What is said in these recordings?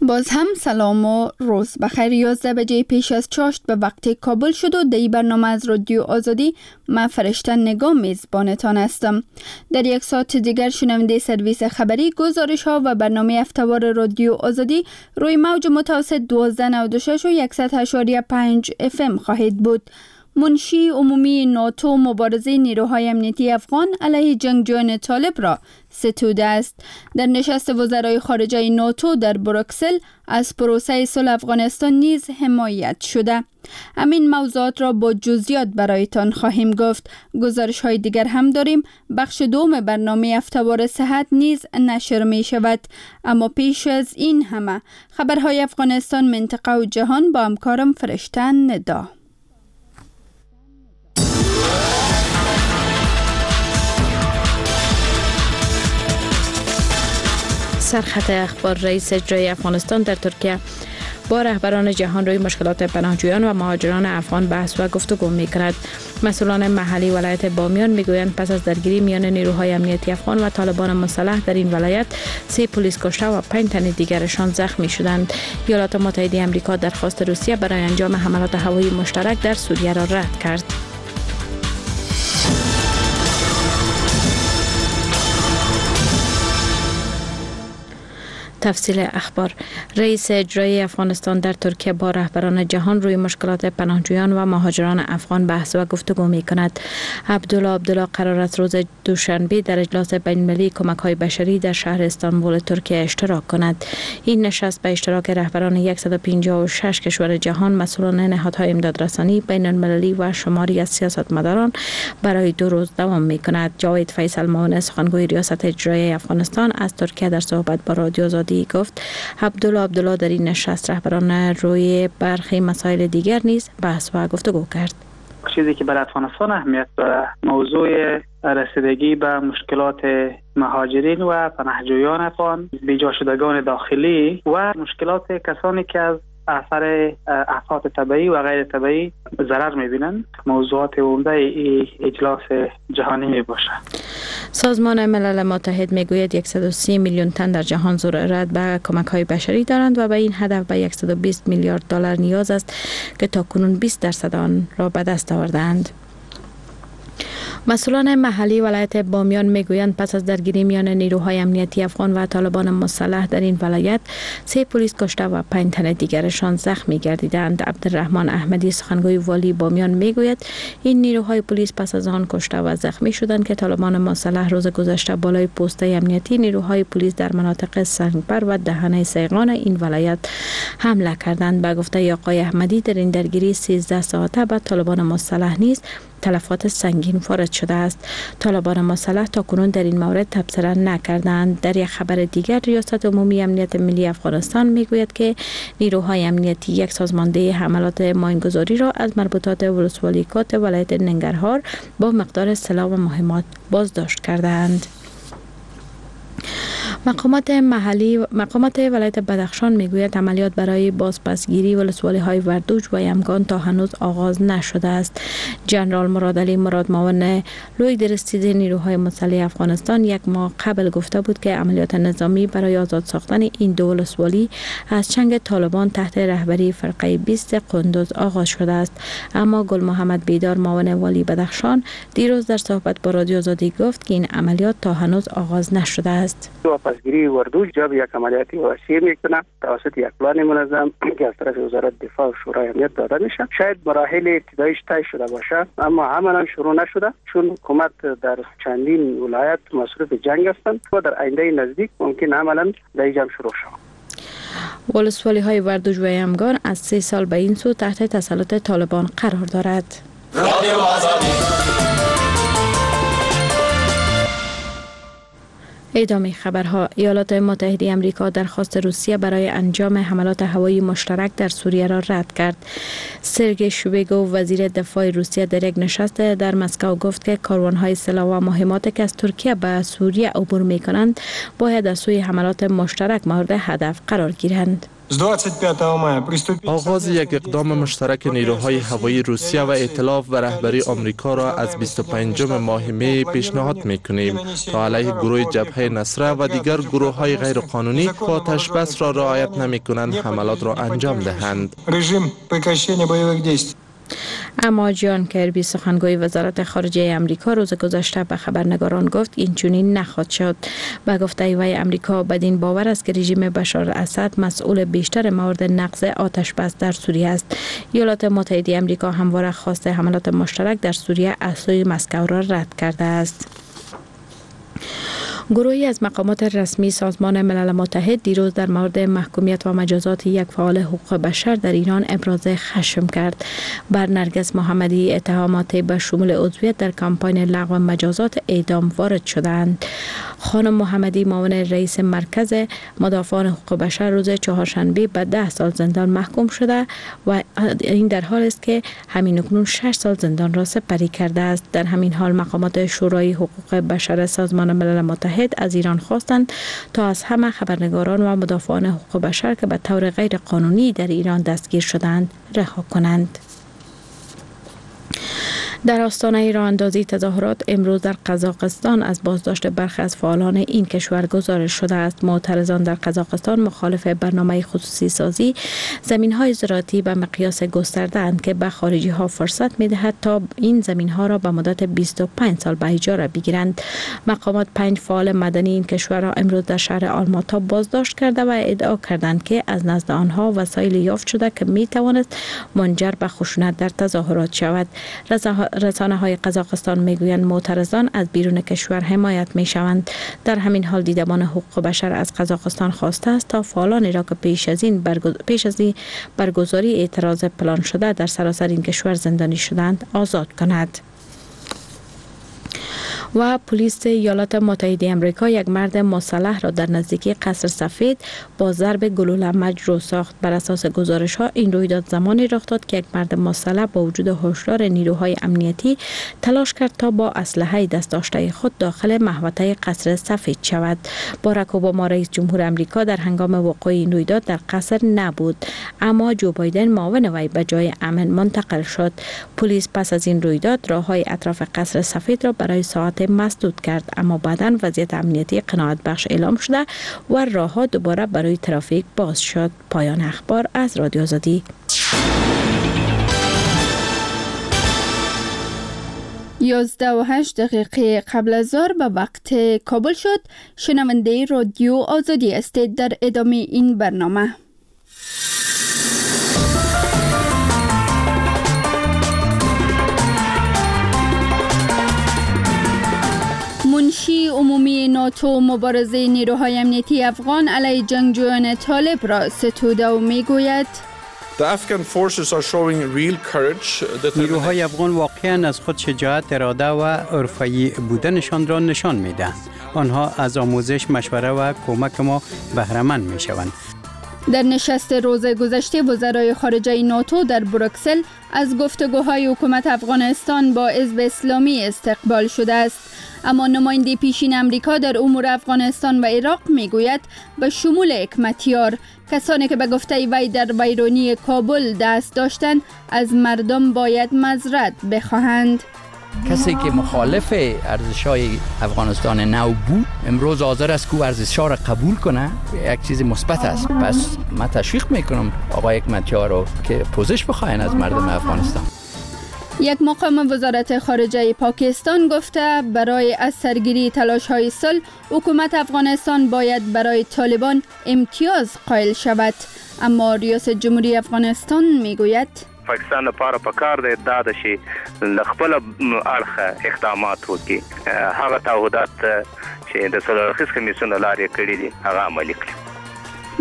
باز هم سلام و روز بخیر. 11 بجه پیش از چاشت به وقت کابل شد و در این برنامه از رادیو آزادی من فرشته نگاه میزبانتان هستم. در یک ساعت دیگر شنونده سرویس خبری، گزارش ها و برنامه افتوار رادیو آزادی روی موج متوسط 1296 و 100.5 FM خواهید بود. منشی عمومی ناتو مبارزه نیروهای امنیتی افغان علیه جنگجویان طالب را ستوده است. در نشست وزرای خارجه ناتو در بروکسل از پروسه صلح افغانستان نیز حمایت شده. همین موضوعات را با جزئیات برایتان خواهیم گفت. گزارش های دیگر هم داریم. بخش دوم برنامه افتوار صحت نیز نشر می شود. اما پیش از این همه خبرهای افغانستان، منطقه و جهان با همکارم فرشته ندا. سرخط اخبار: رئیس اجرایی افغانستان در ترکیه با رهبران جهان روی مشکلات پناهجویان و مهاجران افغان بحث و گفتگو می‌کند. مسئولان محلی ولایت بامیان میگویند پس از درگیری میان نیروهای امنیتی افغان و طالبان مسلح در این ولایت 3 پلیس کشته و 5 تن دیگرشان زخمی شدند. ایالات متحده آمریکا درخواست روسیه برای انجام حملات هوایی مشترک در سوریه را رد کرد. تفصیل اخبار: رئیس اجرایی افغانستان در ترکیه با رهبران جهان روی مشکلات پناهجویان و مهاجران افغان بحث و گفتگو می کند. عبدالله عبدالله قرار است روز دوشنبه در اجلاس بین‌المللی کمک‌های بشری در شهر استانبول ترکیه اشتراک کند. این نشست به اشتراک رهبران 156 کشور جهان، مسئولان نهادهای امدادرسانی بین‌المللی و شماری از سیاستمداران برای 2 روز دوام می کند. جاوید فیصل، معاون سخنگوی ریاست اجرایی افغانستان از ترکیه، در صحبت با رادیو آزادی گفت عبدالله عبدالله در این نشست رهبران روی برخی مسائل دیگر نیز بحث و گفتگو کرد. چیزی که برای افغانستان اهمیت داره موضوع رسیدگی به مشکلات مهاجرین و پناهجویان افغان، بیجا شدگان داخلی و مشکلات کسانی که از اثر آفات طبیعی و غیر طبیعی ضرر می‌بینند، موضوعات عمده ای اجلاس جهانی میباشد. سازمان ملل متحد میگوید 130 میلیون تن در جهان ضرورت به کمک‌های بشری دارند و به این هدف به 120 میلیارد دلار نیاز است که تاکنون 20% آن را به دست آوردند. مسئولان محلی ولایت بامیان میگویند پس از درگیری میان نیروهای امنیتی افغان و طالبان مسلح در این ولایت 3 پلیس کشته و 5 تن دیگرشان زخمی گردیدند. عبدالرحمن احمدی، سخنگوی والی بامیان، میگوید این نیروهای پلیس پس از آن کشته و زخمی شدند که طالبان مسلح روز گذشته بالای پوسته امنیتی نیروهای پلیس در مناطق سنگبر و دهنه سیغان این ولایت حمله کردند. به گفته آقای احمدی در این درگیری 13 ساعته به طالبان مسلح نیز تلفات سنگین وارد شده است. طالبان مسلح تاکنون در این مورد تبصره نکردند. در یک خبر دیگر، ریاست عمومی امنیت ملی افغانستان میگوید که نیروهای امنیتی یک سازمانده حملات ماینگذاری را از مربوطات ولسوالی کات ولایت ننگرهار با مقدار سلاح و مهمات بازداشت کردند. مقامات ولایت بدخشان میگوید عملیات برای بازپسگیری ولسوالی‌های وردوج و یمگان تا هنوز آغاز نشده است. جنرال مراد علی مراد، معاون لوی درستیز نیروهای مسلح افغانستان، یک ماه قبل گفته بود که عملیات نظامی برای آزاد ساختن این دو ولسوالی از چنگ طالبان تحت رهبری فرقه 20 قندوز آغاز شده است. اما گل محمد بیدار، معاون والی بدخشان، دیروز در صحبت با رادیو آزادی گفت که این عملیات تا هنوز آغاز نشده است. واپسگیری وردوج جاب یک عملیاتی وسیع میکنه توسط یک پلان منظم که از طرف وزارت دفاع و شورای امنیت داده میشه. شاید مراحل ابتداییش طی شده باشه اما عملا شروع نشده، چون حکومت در چندین ولایت مصروف جنگ هستند و در آینده نزدیک ممکن عملا در جنگ شروع شود. ولسوالی های وردوج و یمگان از 3 سال به این سو تحت تسلط طالبان قرار دارد. ادامه خبرها: ایالات متحده آمریکا درخواست روسیه برای انجام حملات هوایی مشترک در سوریه را رد کرد. سرگئی شویگو، وزیر دفاع روسیه، در یک نشست در مسکو گفت که کاروان‌های سلاح و مهمات که از ترکیه به سوریه عبور می‌کنند باید از سوی حملات مشترک مورد هدف قرار گیرند. آغاز یک اقدام مشترک نیروهای هوایی روسیه و ائتلاف و رهبری آمریکا را از 25 ماه می پیشنهاد می‌کنیم تا علیه گروه جبهه نصره و دیگر گروه‌های غیرقانونی که آتش بس را رعایت نمی‌کنند حملات را انجام دهند. اما جان کربی سخنگوی وزارت خارجه امریکا روز گذشته به خبرنگاران گفت این چنین نخواهد شد. به گفته وی امریکا بدین باور است که رژیم بشار اسد مسئول بیشتر موارد نقض آتش بس در سوریه است. ایالات متحده امریکا همواره خواست حملات مشترک در سوریه از سوی مسکو را رد کرده است. گروهی از مقامات رسمی سازمان ملل متحد دیروز در مورد محکومیت و مجازات یک فعال حقوق بشر در ایران ابراز خشم کرد. بر نرگس محمدی اتهامات به شمول عضویت در کمپاین لغو مجازات اعدام وارد شدند. خانم محمدی معاون رئیس مرکز مدافعان حقوق بشر روز چهارشنبه به 10 سال زندان محکوم شده و این در حال است که همین اکنون 6 سال زندان را سپری کرده است. در همین حال مقامات شورای حقوق بشر سازمان ملل متحد از ایران خواستند تا از همه خبرنگاران و مدافعان حقوق بشر که به طور غیر قانونی در ایران دستگیر شدند رها کنند. در آستانه راه اندازی تظاهرات امروز در قزاقستان از بازداشت برخی از فعالان این کشور گزارش شده است. معترضان در قزاقستان مخالف برنامه خصوصی سازی زمین‌های زراعتی به مقیاس گسترده اند که به خارجی ها فرصت می‌دهد تا این زمین‌ها را به مدت 25 سال به اجاره بگیرند. مقامات 5 فعال مدنی این کشور را امروز در شهر آلماتا بازداشت کرده و ادعا کردند که از نزد آنها وسایل یافت شده که می‌توانست منجر به خشونت در تظاهرات شود. رسانه های قزاقستان میگویند معترضان از بیرون کشور حمایت می شوند. در همین حال دیدبان حقوق بشر از قزاقستان خواسته است تا فعالانی را که پیش از این برگزاری اعتراض پلان شده در سراسر این کشور زندانی شدند آزاد کند. و پلیس ایالات متحده آمریکا یک مرد مسلح را در نزدیکی قصر سفید با ضرب گلوله مجروح ساخت. بر اساس گزارش ها این رویداد زمانی رخ داد که یک مرد مسلح با وجود هشدار نیروهای امنیتی تلاش کرد تا با اسلحه دست داشته خود داخل محوطه قصر سفید شود. باراک اوباما رئیس جمهور آمریکا در هنگام وقوع این رویداد در قصر نبود، اما جو بایدن معاون وی به جای امن منتقل شد. پلیس پس از این رویداد راه‌های اطراف قصر سفید را برای ساعت مسدود کرد، اما بعداً وضعیت امنیتی قناعت بخش اعلام شده و راه‌ها دوباره برای ترافیک باز شد. پایان اخبار از رادیو آزادی. 11:08 قبل از ظهر به وقت کابل شد. شنونده رادیو آزادی هستید. در ادامه این برنامه منشی عمومی ناتو مبارزه نیروهای امنیتی افغان علیه جنگجویان طالب را ستوده و میگوید نیروهای افغان واقعا از خود شجاعت، اراده و حرفه‌ای بودنشان را نشان میدهند. آنها از آموزش، مشوره و کمک ما بهره‌مند میشوند. در نشست روز گذشته وزرای خارجه ناتو در بروکسل از گفتگوهای حکومت افغانستان با حزب اسلامی استقبال شده است. اما نماینده پیشین امریکا در امور افغانستان و عراق میگوید به شمول حکمتیار کسانی که به گفته وی در ویرانی کابل دست داشتند از مردم باید معذرت بخواهند. کسی که مخالف ارزش‌های افغانستان نو بود امروز حاضر است که ارزش‌ها را قبول کنه، یک چیز مثبت است. پس من تشویق میکنم آقای حکمتیار رو که پوزش بخواین از مردم افغانستان. یک مقام وزارت خارجه پاکستان گفته برای از سرگیری تلاش‌های صلح حکومت افغانستان باید برای طالبان امتیاز قائل شود. اما ریاست جمهوری افغانستان میگوید پاکستان لپاره پکار دی دا د شي خپل اړخ اقدامات وکړي، هغه تعهدات چې د څلور کمیسیون لارې کړې دي هغه عملي کړي.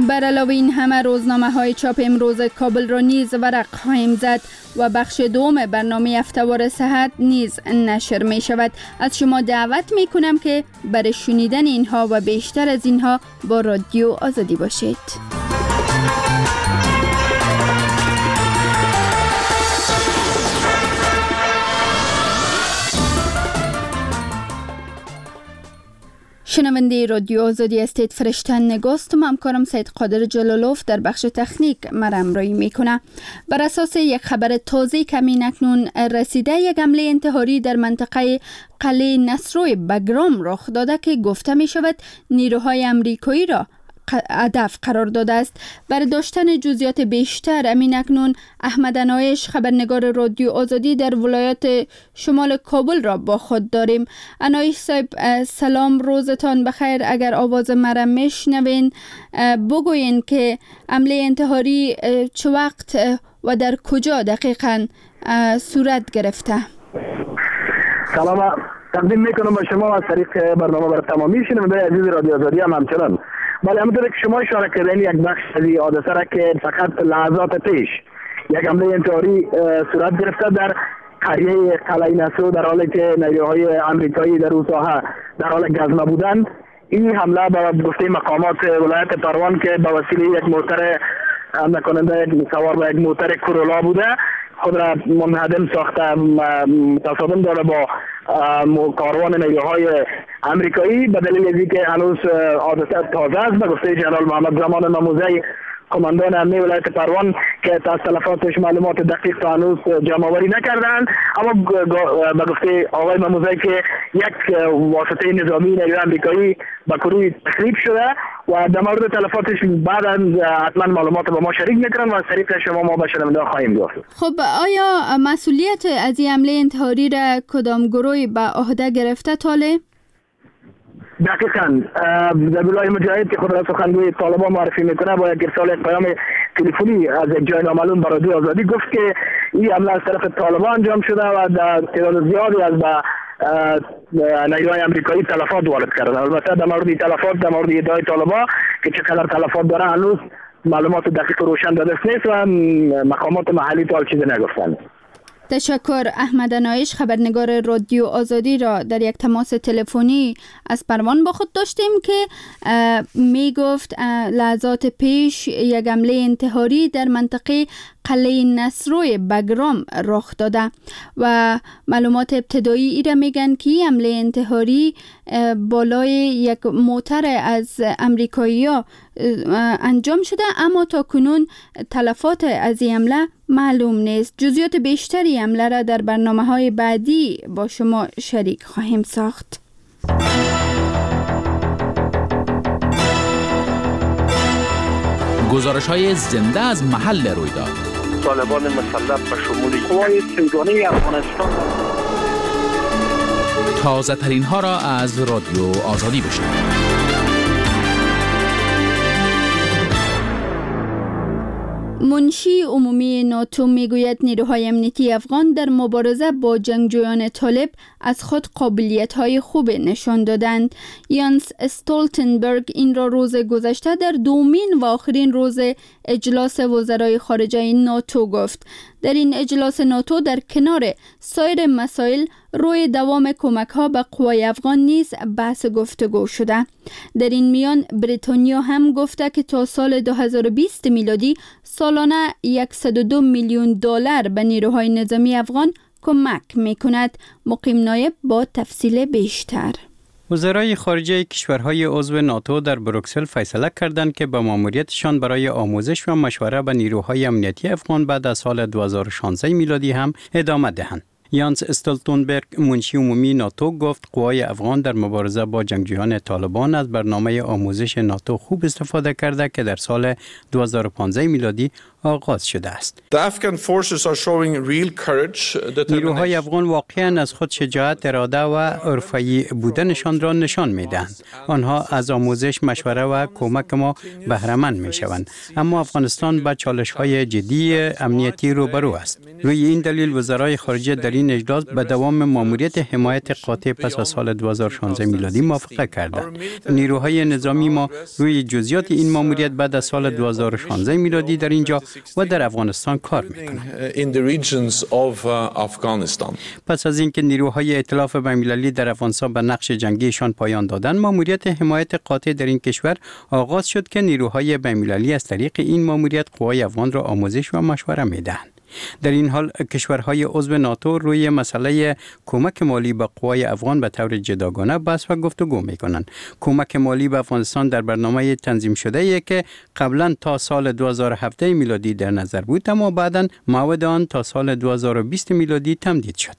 بر علاوه این همه روزنامه های چاپ امروز کابل را نیز ورق خواهیم زد و بخش دوم برنامه هفته‌وار صحت نیز نشر می شود. از شما دعوت می کنم که برای شنیدن اینها و بیشتر از اینها با رادیو آزادی باشید. شنونده رادیو آزادی هستید. فرشته نگاست و همکارم سید قادر جلالوف در بخش تکنیک مرا همراهی میکنه. بر اساس یک خبر تازه کمی اکنون رسیده، یک حمله انتحاری در منطقه قلعه نصرو بگرام رخ داده که گفته می شود نیروهای امریکایی را هدف قرار داده است. برای داشتن جزئیات بیشتر امین اکنون احمد انایش، خبرنگار رادیو آزادی در ولایت شمال کابل را با خود داریم. انایش صاحب سلام، روزتان بخیر. اگر آواز مرا میشنوین بگوین که حمله انتحاری چه وقت و در کجا دقیقاً صورت گرفته؟ سلام تقدیم میکنم به شما از طریق برنامه برای تمامی شنوندگان عزیز رادیو آزادی هم همچنان. بله، همونطور که شما اشاره کردین یک بخش از این حادثه را که فقط لحظات پیش یک حمله انتحاری صورت گرفته در قریه قلعه نصرو، در حالی که نیروهای امریکایی در اون ساحه در حال گزمه بودند. این حمله به گفته مقامات ولایت پروان که به وسیله یک موتر حمله کننده سوار به یک موتر کرولا بوده خود را منهدم ساخته، تصادم داره با کاروان نیروهای امریکایی. به دلیل اینکه هنوز حادثه تازه است، به گفته جنرال محمد زمان ماموزی قماندان امنیه ولایت پروان که تا تلفاتش معلومات دقیق تا هنوز جمع آوری نکردند، اما به گفته آقای ماموزی که یک واسطه نظامی نیروی امریکایی به کروی تخریب شده و در مورد تلفاتش بعد حتما معلومات با ما شریک میکنن و از طریق شما ما به شنونده خواهیم گفت. خب آیا مسئولیت از این حمله انتحاری را کدام گروه به عهده گرفته تاله؟ دقیقاً ذبیح مجاهد که خود را سخنگوی طالبان معرفی میکنه با یک ارسال یک پیام تلفنی از یک جای نامعلوم به رادیو آزادی گفت که این حمله از طرف طالبان انجام شده و در تعداد زیادی از نیروهای امریکایی تلفات وارد کردن. البته در مورد تلفات، در مورد ادعای طالبان که چقدر تلفات داره هنوز معلومات دقیق و روشن در دست نیست و مقامات محلی تا چیزی نگفتند. تشکر. احمد انایش خبرنگار رادیو آزادی را در یک تماس تلفنی از پروان با خود داشتیم که می گفت لحظات پیش یک حمله انتحاری در منطقه قلعه نصرو بگرام رخ داده و معلومات ابتدایی ای را میگن که حمله انتحاری بالای یک موتر از امریکایی انجام شده، اما تا کنون تلفات از این حمله معلوم نیست. جزئیات بیشتری حمله را در برنامه‌های بعدی با شما شریک خواهیم ساخت. گزارش‌های زنده از محل رویداد. طالبان مسلح به شمول قوای سیگانه افغانستان. تازه ترین ها را از رادیو آزادی بشنوید. منشی عمومی ناتو میگوید نیروهای امنیتی افغان در مبارزه با جنگجویان طالب از خود قابلیت‌های خوب نشان دادند. یانس استولتنبرگ این را روز گذشته در دومین و آخرین روز اجلاس وزرای خارجه ناتو گفت. در این اجلاس ناتو در کنار سایر مسائل روی دوام کمک‌ها به قوای افغان نیز بحث گفتگو شده. در این میان بریتانیا هم گفته که تا سال 2020 میلادی سالانه 102 میلیون دلار به نیروهای نظامی افغان کمک میکند. مقیم نایب با تفصیل بیشتر. وزرای خارجه کشورهای عضو ناتو در بروکسل فیصله کردند که به ماموریتشان برای آموزش و مشوره به نیروهای امنیتی افغان بعد از سال 2016 میلادی هم ادامه دهند. یانس استولتنبرگ منشی عمومی ناتو گفت قوای افغان در مبارزه با جنگجویان طالبان از برنامه آموزش ناتو خوب استفاده کرده که در سال 2015 میلادی آغاز شده است. نیروهای افغان واقعا از خود شجاعت، اراده و حرفه‌ای بودنشان را نشان می‌دهند. آنها از آموزش، مشوره و کمک ما بهره‌مند می‌شوند. اما افغانستان با چالش‌های جدی امنیتی روبرو است. روی این دلیل وزرای خارجه در این اجلاس به دوام ماموریت حمایت قاطع پس از سال 2016 میلادی موافقه کردند. نیروهای نظامی ما روی جزئیات این ماموریت بعد از سال 2016 میلادی در اینجا و در افغانستان کار می‌کنند. پس از اینکه نیروهای ائتلاف بین‌المللی در افغانستان به نقش جنگیشان پایان دادند، ماموریت حمایت قاطع در این کشور آغاز شد که نیروهای بین‌المللی از طریق این ماموریت قوای افغان را آموزش و مشوره می‌دهند. در این حال کشورهای عضو ناتو روی مسئله کمک مالی به قوای افغان به طور جداگانه بحث و گفتگو می کنند. کمک مالی به افغانستان در برنامه تنظیم شده ای که قبلا تا سال 2017 میلادی در نظر بود، اما بعدا موعد آن تا سال 2020 میلادی تمدید شد.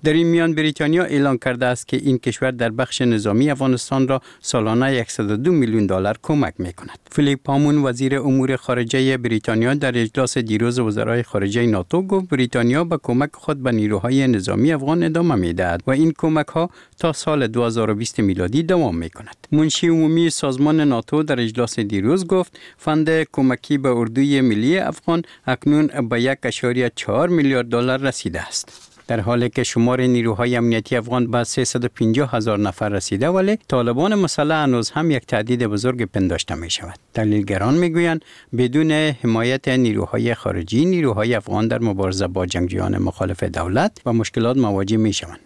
در این میان بریتانیا اعلان کرده است که این کشور در بخش نظامی افغانستان را سالانه 102 میلیون دلار کمک می کند. فیلیپ هاموند، وزیر امور خارجه بریتانیا، در اجلاس دیروز وزرای خارجه ناتو گفت بریتانیا به کمک خود به نیروهای نظامی افغان ادامه می دهد و این کمک ها تا سال 2020 میلادی دوام می کند. منشی عمومی سازمان ناتو در اجلاس دیروز گفت فند کمکی به اردوی ملی افغان اکنون به 1.4 میلیارد دلار رسیده است. در حالی که شمار نیروهای امنیتی افغان به 350 هزار نفر رسیده، ولی طالبان مسلح هنوز هم یک تهدید بزرگ پنداشته می شود. تحلیلگران می گویند بدون حمایت نیروهای خارجی، نیروهای افغان در مبارزه با جنگجویان مخالف دولت با مشکلات مواجه می شوند.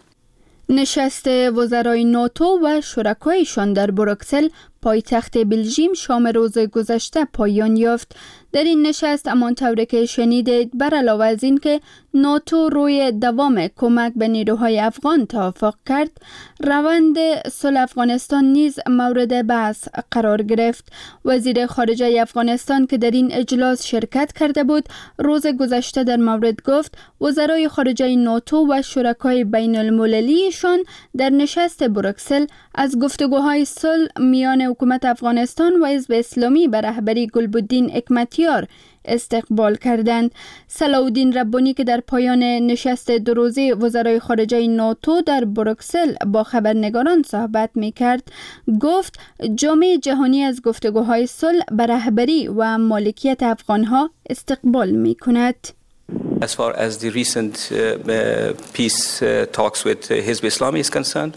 نشست وزرای ناتو و شرکایشان در بروکسل، پایتخت بلژیم، شام روز گذشته پایان یافت. در این نشست، همانطور که شنیدید، بر علاوه از اینکه ناتو روی دوام کمک به نیروهای افغان توافق کرد، روند صلح افغانستان نیز مورد بحث قرار گرفت. وزیر خارجه افغانستان که در این اجلاس شرکت کرده بود، روز گذشته در مورد گفت وزرای خارجه ناتو و شرکای بین المللیشان در نشست بروکسل از گفتگوهای صلح میان حکومت افغانستان و حزب اسلامی به رهبری گلبدین حکمتیار استقبال کردند. صلاح الدین ربانی که در پایان نشست دو روزه وزرای خارجه ناتو در بروکسل با خبرنگاران صحبت می کرد، گفت جامعه جهانی از گفتگوهای صلح به رهبری و مالکیت افغانها استقبال می کند. As far as the recent peace talks with Hizb Islami is concerned,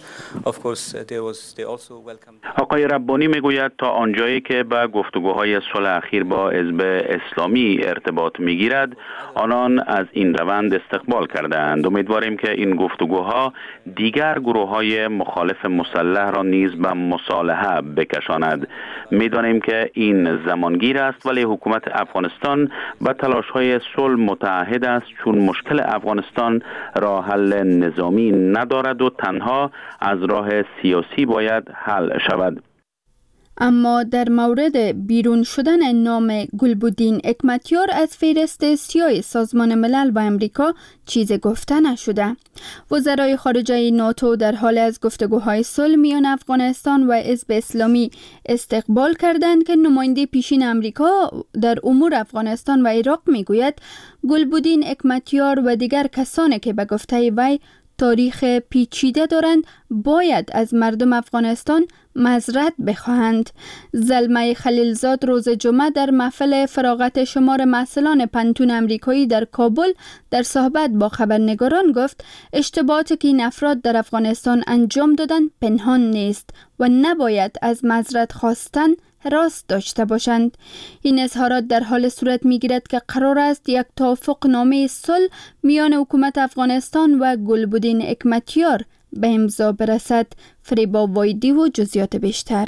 of course there was they also welcomed. آقای ربانی میگوید تا آنجایی که به گفتگوهای صلح اخیر با حزب اسلامی ارتباط میگیرد، آنان از این روند استقبال کردند. امیدواریم که این گفتگوها دیگر گروه های مخالف مسلح را نیز به مصالحه بکشاند. میدانیم که این زمانگیر است، ولی حکومت افغانستان به تلاش های صلح متعهد است، چون مشکل افغانستان راه حل نظامی ندارد و تنها از راه سیاسی باید حل شود. اما در مورد بیرون شدن نام گلبدین حکمتیار از فهرست سیاه سازمان ملل و امریکا چیز گفته نشده. وزرای خارجه ناتو در حالی از گفتگوهای صلح میان افغانستان و حزب اسلامی استقبال کردند که نماینده پیشین امریکا در امور افغانستان و عراق میگوید گلبدین حکمتیار و دیگر کسانی که به گفته وی تاریخ پیچیده دارند، باید از مردم افغانستان معذرت بخواهند. زلمی خلیلزاد روز جمعه در محفل فراغت شمار محصلان پوهنتون امریکایی در کابل در صحبت با خبرنگاران گفت اشتباهاتی که این افراد در افغانستان انجام دادند پنهان نیست و نباید از معذرت خواستن هراس داشته باشند. این اظهارات در حالی صورت میگیرد که قرار است یک توافق نامه صلح میان حکومت افغانستان و گلبدین حکمتیار به امضا برسد. فریبا وایدی و جزئیات بیشتر.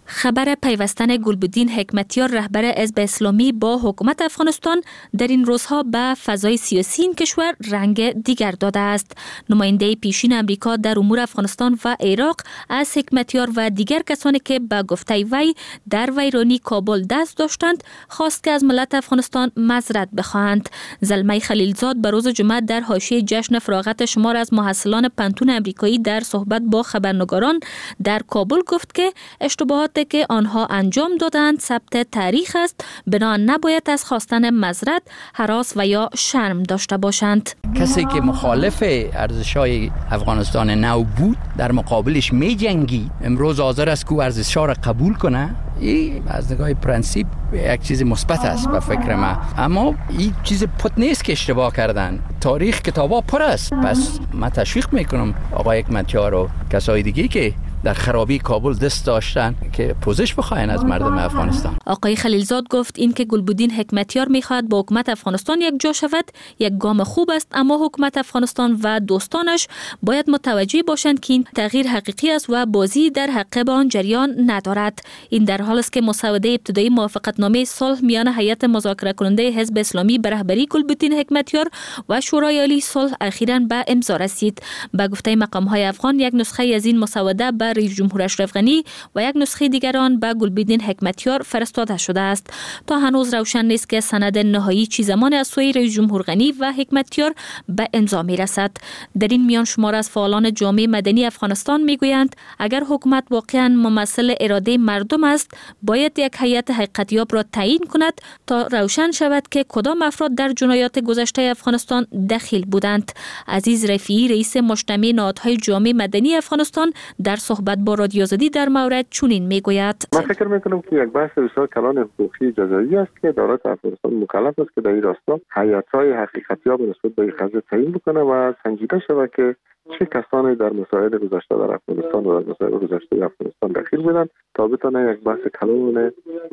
خبر پیوستن گلبدین حکمتیار، رهبر حزب اسلامی، با حکومت افغانستان در این روزها به فضای سیاسی این کشور رنگ دیگر داده است. نماینده پیشین امریکا در امور افغانستان و عراق از حکمتیار و دیگر کسانی که به گفته وی در ویرانی کابل دست داشتند، خواست که از ملت افغانستان معذرت بخواهند. زلمی خلیلزاد به روز جمعه در حاشیه جشن فراغت شمار از محصلان پوهنتون امریکایی در صحبت با خبرنگاران در کابل گفت که اشتباهات که آنها انجام دادند ثبت تاریخ است، بنا نباید از خواستن معذرت هراس و یا شرم داشته باشند. کسی که مخالف ارزش های افغانستان نو بود، در مقابلش می جنگید، امروز حاضر است که ارزش ها را قبول کنه، این از نگاه پرنسیپ یک چیز مثبت است به فکر من. اما این چیز پت نیست که اشتباه کردن. تاریخ کتابا پر است. پس من تشویق میکنم آقای حکمتیار و کسای دیگه که در خرابی کابل دست داشتن که پوزش بخواین از مردم افغانستان. آقای خلیلزاد گفت اینکه گلبدین حکمتیار میخواهد با حکومت افغانستان یک جا شود یک گام خوب است، اما حکومت افغانستان و دوستانش باید متوجه باشند که این تغییر حقیقی است و بازی در حق آن جریان ندارد. این در حال است که مسوده ابتدایی موافقتنامه صلح میان هیئت مذاکره کننده حزب اسلامی به رهبری گلبدین حکمتیار و شورای عالی صلح اخیراً به امضا رسید. به گفته مقام‌های افغان یک نسخه از این مسوده به رئیس جمهور اشرف غنی و یک نسخه دیگر آن به گلبدین حکمتیار فرستاده شده است. تا هنوز روشن نیست که سند نهایی چی زمان از سوی رئیس جمهور غنی و حکمتیار به امضا می‌رسد. در این میان شمار از فعالان جامعه مدنی افغانستان میگویند اگر حکومت واقعا ممثل اراده مردم است باید یک هیئت حقیقتیاب را تعیین کند تا روشن شود که کدام افراد در جنایات گذشته افغانستان دخیل بودند. عزیز رفیعی رئیس مجتمع نهادهای جامعه مدنی افغانستان در صحبت با رادیو آزادی در مورد چنین میگوید: من فکر میکنم که یک بحث بسیار کلان حقوقی جزایی است که دولت افغانستان مکلف است که در این راستا هیئت‌های حقیقتیاب نسبت به این قضیه تعیین بکنه و سنجیده شود که چه کسانی در مسائل گذشته در افغانستان و در مسائل گذشته افغانستان دخیل بودند تا بتونه یک بحث کلان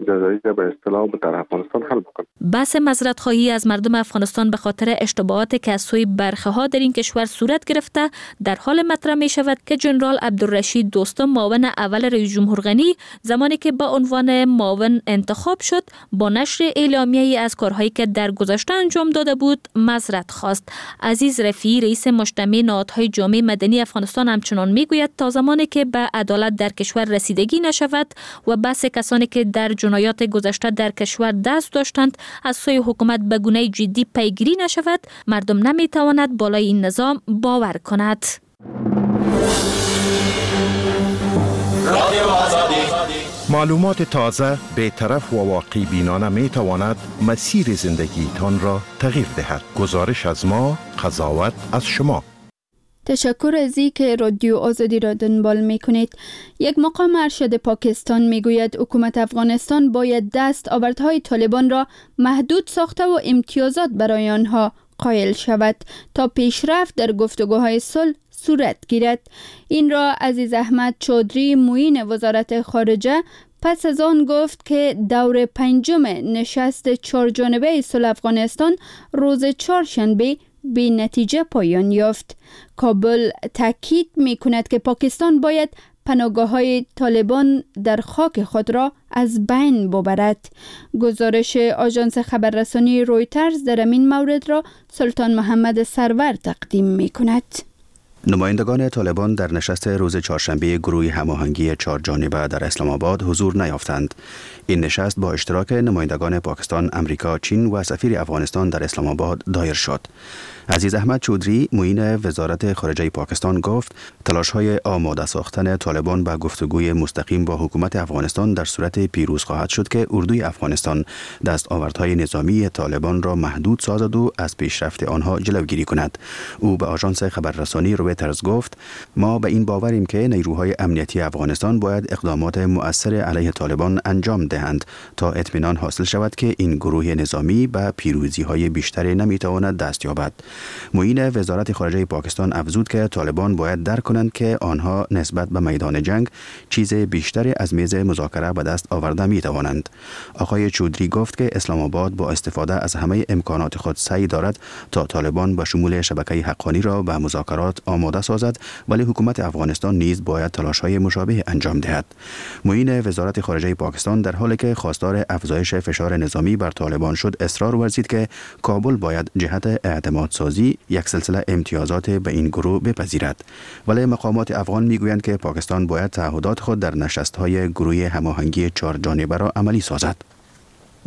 جزایی به اصطلاح در افغانستان حل بکنه. بحث معذرت خواهی از مردم افغانستان به خاطر اشتباهات که از سوی برخه ها در این کشور صورت گرفته در حال مطرح می شود که جنرال عبدالرشید دوستم معاون اول رئیس جمهور غنی زمانی که به عنوان معاون انتخاب شد با نشر اعلامیه‌ای از کارهایی که در گذشته انجام داده بود معذرت خواست. عزیز رفیعی رئیس مجتمع نهادهای جامعه مدنی افغانستان همچنان میگوید تا زمانی که به عدالت در کشور رسیدگی نشود و بحث کسانی که در جنایات گذشته در کشور دست داشتند از سوی حکومت به گونه جدی پیگیری نشود مردم نمیتواند بالای این نظام باور کند. معلومات تازه، بی‌طرف و واقع بینانه می تواند مسیر زندگیتان را تغییر دهد. گزارش از ما، قضاوت از شما. تشکر از اینکه رادیو آزادی را دنبال می کنید. یک مقام ارشد پاکستان می گوید حکومت افغانستان باید دست آوردهای طالبان را محدود ساخته و امتیازات برای آنها قائل شود تا پیشرفت در گفتگوهای صلح صورت گیرد. این را عزیز احمد چودری معین وزارت خارجه پس از آن گفت که دور پنجم نشست چهار جانبه صلح افغانستان روز چهارشنبه بی نتیجه پایان یافت. کابل تاکید می کند که پاکستان باید پناهگاه های طالبان در خاک خود را از بین ببرد. گزارش آژانس خبررسانی رویترز در این مورد را سلطان محمد سرور تقدیم می کند. نمایندگان طالبان در نشست روز چهارشنبه گروه هماهنگی چهار جانبه در اسلام آباد حضور نیافتند. این نشست با اشتراک نمایندگان پاکستان، امریکا، چین و سفیر افغانستان در اسلام آباد دایر شد. عزیز احمد چودری معین وزارت خارجه پاکستان گفت تلاش‌های آماده ساختن طالبان به گفتگوی مستقیم با حکومت افغانستان در صورت پیروز خواهد شد که اردوی افغانستان دستاوردهای نظامی طالبان را محدود سازد و از پیشرفت آنها جلوگیری کند. او به آژانس خبررسانی رویترز گفت ما به این باوریم که نیروهای امنیتی افغانستان باید اقدامات مؤثر علیه طالبان انجام دهند تا اطمینان حاصل شود که این گروه نظامی به پیروزی‌های بیشتری نمی‌تواند دست یابد. معین وزارت خارجه پاکستان افزود که طالبان باید درک کنند که آنها نسبت به میدان جنگ چیز بیشتری از میز مذاکره به دست آورده می توانند. آقای چودری گفت که اسلام آباد با استفاده از همه امکانات خود سعی دارد تا طالبان به شمول شبکه حقانی را به مذاکرات آماده سازد، ولی حکومت افغانستان نیز باید تلاش‌های مشابه انجام دهد. معین وزارت خارجه پاکستان در حالی که خواستار افزایش فشار نظامی بر طالبان شد اصرار ورزید که کابل باید جهت اعتماد سازی یک سلسله امتیازات به این گروه بپذیرد. ولی مقامات افغان میگویند که پاکستان باید تعهدات خود در نشست‌های گروه هماهنگی چهار جانبه را عملی سازد.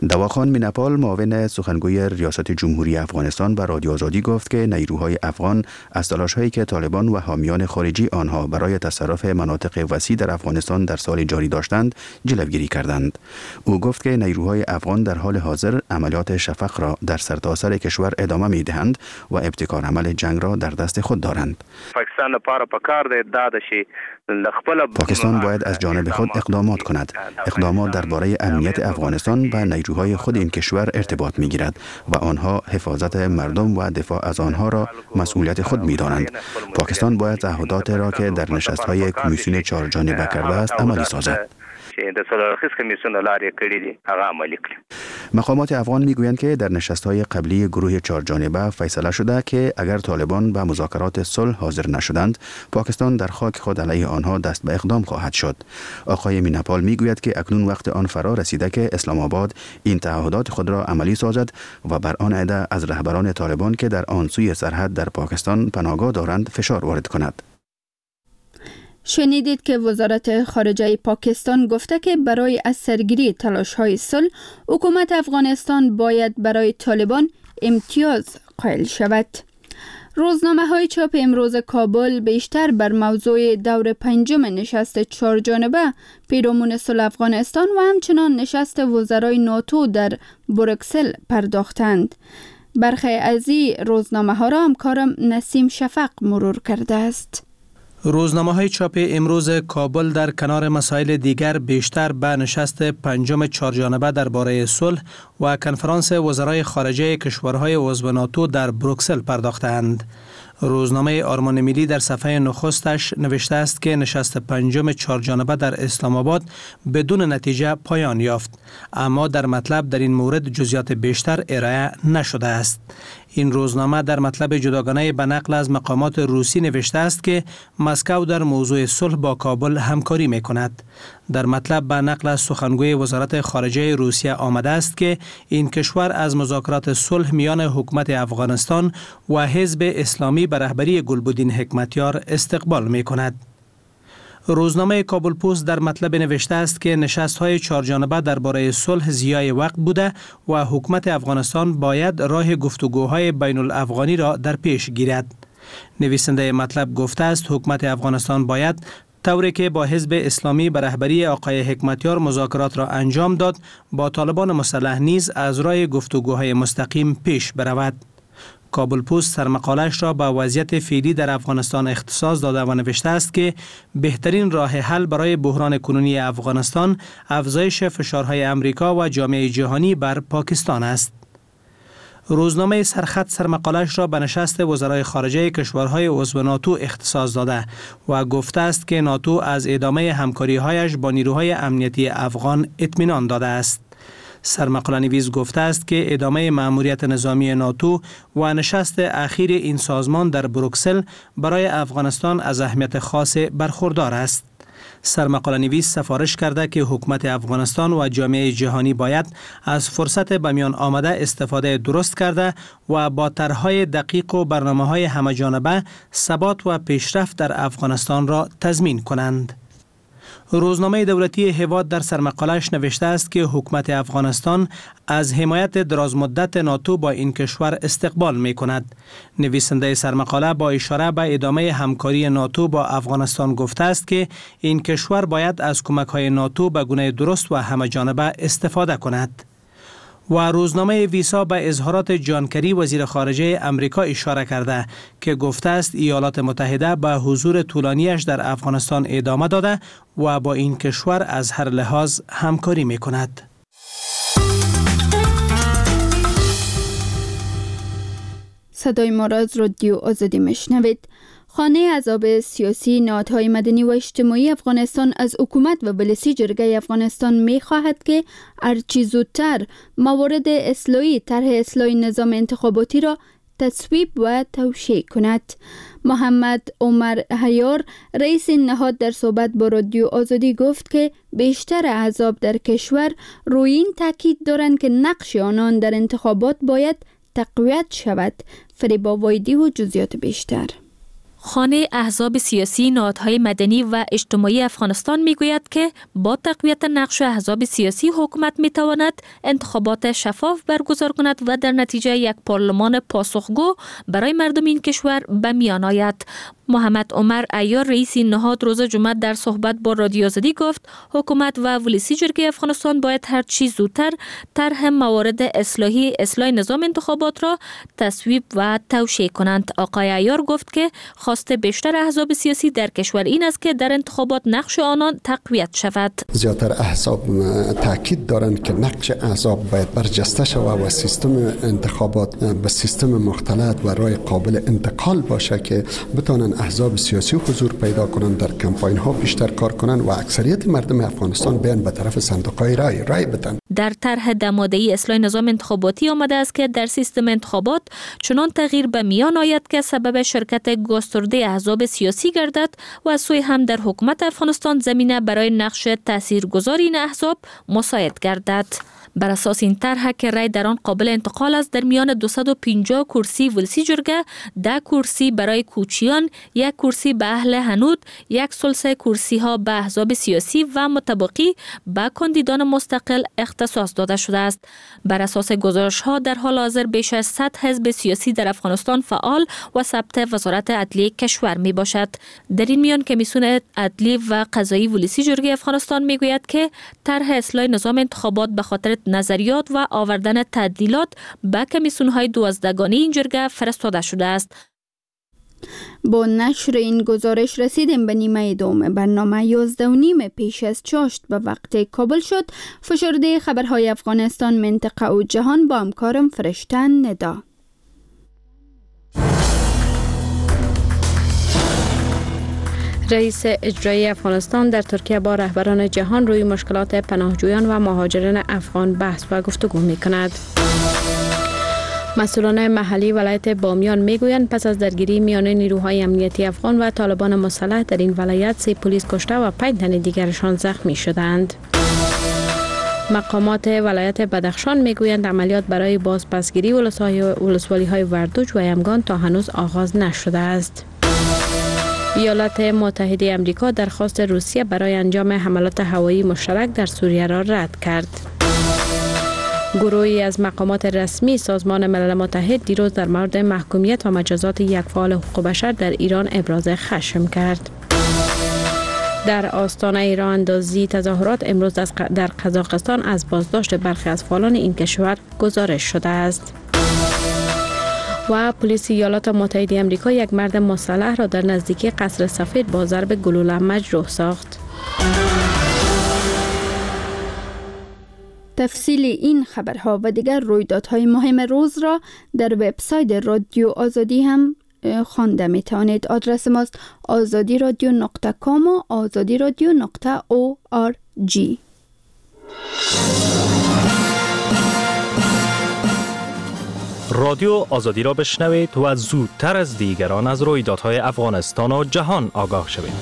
دواخان مینپال معاون سخنگوی ریاست جمهوری افغانستان به رادیو آزادی گفت که نیروهای افغان از تلاش‌هایی که طالبان و حامیان خارجی آنها برای تصرف مناطق وسیع در افغانستان در سال جاری داشتند جلوگیری کردند. او گفت که نیروهای افغان در حال حاضر عملیات شفق را در سرتاسر کشور ادامه می‌دهند و ابتکار عمل جنگ را در دست خود دارند. پاکستان لپاره پکار دی دا ده چې پاکستان باید از جانب خود اقدامات کند. اقدامات درباره امنیت افغانستان به نیروهای خود این کشور ارتباط می گیرد و آنها حفاظت مردم و دفاع از آنها را مسئولیت خود می دانند. پاکستان باید تعهدات را که در نشست های کمیسیون چهار جانبه کرده است عملی سازد. چې د څلور اړخیز کمیسیون له لارې کړي دي هغه عملي کړي. مقامات افغان میگویند که در نشست‌های قبلی گروه چهار جانبه فیصله شده که اگر طالبان به مذاکرات صلح حاضر نشدند، پاکستان در خاک خود علیه آنها دست به اقدام خواهد شد. آقای میناپال میگوید که اکنون وقت آن فرا رسیده که اسلام آباد این تعهدات خود را عملی سازد و بر آن عده از رهبران طالبان که در آن سوی سرحد در پاکستان پناهگاه دارند فشار وارد کند. شنیدید که وزارت خارجه پاکستان گفته که برای از سرگیری تلاش‌های صلح، حکومت افغانستان باید برای طالبان امتیاز قائل شود. روزنامه های چاپ امروز کابل بیشتر بر موضوع دور پنجم نشست چهار جانبه پیرامون صلح افغانستان و همچنان نشست وزرای ناتو در بروکسل پرداختند. برخی از این روزنامه ها را همکارم نسیم شفق مرور کرده است. روزنامه های چاپ امروز کابل در کنار مسائل دیگر بیشتر به نشست پنجم چهارجانبه درباره صلح و کنفرانس وزرای خارجه کشورهای عضو ناتو در بروکسل پرداختند. روزنامه آرمان ملی در صفحه نخستش نوشته است که نشست پنجم چهارجانبه در اسلام آباد بدون نتیجه پایان یافت، اما در مطلب در این مورد جزئیات بیشتر ارائه نشده است. این روزنامه در مطلب جداگانه به نقل از مقامات روسی نوشته است که مسکو در موضوع صلح با کابل همکاری می کند. در مطلب به نقل از سخنگوی وزارت خارجه روسیه آمده است که این کشور از مذاکرات صلح میان حکومت افغانستان و حزب اسلامی به رهبری گلبدین حکمتیار استقبال می کند. روزنامه کابل پست در مطلب نوشته است که نشست‌های چهارجانبه درباره صلح ضیاع وقت بوده و حکومت افغانستان باید راه گفتگوهای بین الافغانی را در پیش گیرد. نویسنده مطلب گفته است حکومت افغانستان باید طوری که با حزب اسلامی به رهبری آقای حکمتیار مذاکرات را انجام داد، با طالبان مسلح نیز از راه گفتگوهای مستقیم پیش برود. کابل پست سرمقالش را به وضعیت فعلی در افغانستان اختصاص داده و نوشته است که بهترین راه حل برای بحران کنونی افغانستان افزایش فشارهای امریکا و جامعه جهانی بر پاکستان است. روزنامه سرخط سرمقالش را به نشست وزرای خارجه کشورهای عضو ناتو اختصاص داده و گفته است که ناتو از ادامه همکاری‌هایش با نیروهای امنیتی افغان اطمینان داده است. سرمقاله نویس گفته است که ادامه مأموریت نظامی ناتو و نشست اخیر این سازمان در بروکسل برای افغانستان از اهمیت خاص برخوردار است. سرمقاله نویس سفارش کرده که حکومت افغانستان و جامعه جهانی باید از فرصت به میان آمده استفاده درست کرده و با طرح‌های دقیق و برنامه‌های همه‌جانبه ثبات و پیشرفت در افغانستان را تضمین کنند. روزنامه دولتی هیواد در سرمقالش نوشته است که حکومت افغانستان از حمایت درازمدت ناتو با این کشور استقبال می کند. نویسنده سرمقاله با اشاره به ادامه همکاری ناتو با افغانستان گفته است که این کشور باید از کمک‌های ناتو به گونه درست و همه‌جانبه استفاده کند. و روزنامه ویسا به اظهارات جان کری وزیر خارجه امریکا اشاره کرده که گفته است ایالات متحده به حضور طولانیش در افغانستان ادامه داده و با این کشور از هر لحاظ همکاری می کند. صدای ما را از رادیو آزادی میشنوید. خانه احزاب سیاسی، نهادهای مدنی و اجتماعی افغانستان از حکومت و ولسی جرگه افغانستان می‌خواهد که هرچی زودتر موارد اصلاحی طرح اصلاح نظام انتخاباتی را تصویب و توشیح کند. محمد عمر حیار رئیس این نهاد در صحبت با رادیو آزادی گفت که بیشتر احزاب در کشور روی این تاکید دارند که نقش آنان در انتخابات باید تقویت شود. فریبا وایدی و جزئیات بیشتر. خانه احزاب سیاسی، نهادهای مدنی و اجتماعی افغانستان میگوید که با تقویت نقش احزاب سیاسی حکومت میتواند انتخابات شفاف برگزار کند و در نتیجه یک پارلمان پاسخگو برای مردم این کشور به میان آید. محمد عمر عیار، رئیس این نهاد، روز جمعه در صحبت با رادیو آزادی گفت حکومت و ولسی جرگه افغانستان باید هر چیز زودتر طرح موارد اصلاح نظام انتخابات را تصویب و توشیح کنند. آقای عیار گفت که خواست بیشتر احزاب سیاسی در کشور این است که در انتخابات نقش آنان تقویت شود. زیادتر احزاب تاکید دارند که نقش احزاب باید برجسته شود و سیستم انتخابات به سیستم مختلط و رای قابل انتقال باشه که بتوانند احزاب سیاسی حضور پیدا کنند، در کمپاین ها بیشتر کار کنند و اکثریت مردم افغانستان بیان به طرف صندوق های رای بدن. در طرح دماده‌ای اصلاح نظام انتخاباتی آمده است که در سیستم انتخابات چنان تغییر به میان آید که سبب شرکت گسترده احزاب سیاسی گردد و از سوی هم در حکومت افغانستان زمینه برای نقش تاثیرگذار این احزاب مساعد گردد. بر اساس این طرح که رای در آن قابل انتقال است، در میان 250 کرسی ولسی جرگه، 10 کرسی برای کوچیان، 1 کرسی به اهل هنود، 1/3 کرسی ها به احزاب سیاسی و متباقی به کاندیدان مستقل اختصاص داده شده است. بر اساس گزارش ها در حال حاضر بیش از 100 حزب سیاسی در افغانستان فعال و ثبت وزارت عدلیه کشور می باشد. در این میان کمیسیون عدلی و قضایی ولسی جرگه افغانستان می گوید که طرح اصلاح نظام انتخابات به خاطر نظریات و آوردن تعدیلات به کمیسیون های 12 گانه این جرگه فرستاده شده است. با نشر این گزارش رسیدیم به نیمه دوم برنامه. 11:30 پیش از چاشت به وقت کابل شد. فشرده خبرهای افغانستان، منطقه و جهان با همکارم فرشته ندا. رئیس اجرایی افغانستان در ترکیه با رهبران جهان روی مشکلات پناهجویان و مهاجرین افغان بحث و گفتگو می کند. مسئولان محلی ولایت بامیان میگویند پس از درگیری میان نیروهای امنیتی افغان و طالبان مسلح در این ولایت 3 پلیس کشته و 5 تن دیگرشان زخمی شدند. مقامات ولایت بدخشان میگویند عملیات برای بازپسگیری ولسوالی‌های وردوج و یمگان تا هنوز آغاز نشده است. ایالات متحده امریکا درخواست روسیه برای انجام حملات هوایی مشترک در سوریه را رد کرد. گروهی از مقامات رسمی سازمان ملل متحد دیروز در مورد محکومیت و مجازات یک فعال حقوق بشر در ایران ابراز خشم کرد. در آستانه راه اندازی تظاهرات امروز در قزاقستان از بازداشت برخی از فعالان این کشور گزارش شده است. و پلیس ایالات متحده امریکا یک مرد مسلح را در نزدیکی قصر سفید با ضرب گلوله مجروح ساخت. تفصیل این خبرها و دیگر رویدادهای مهم روز را در وبسایت رادیو آزادی هم خوانده می توانید. آدرس ماست azadiradio.com و azadiradio.org. رادیو آزادی را بشنوید و زودتر از دیگران از رویدادهای افغانستان و جهان آگاه شوید.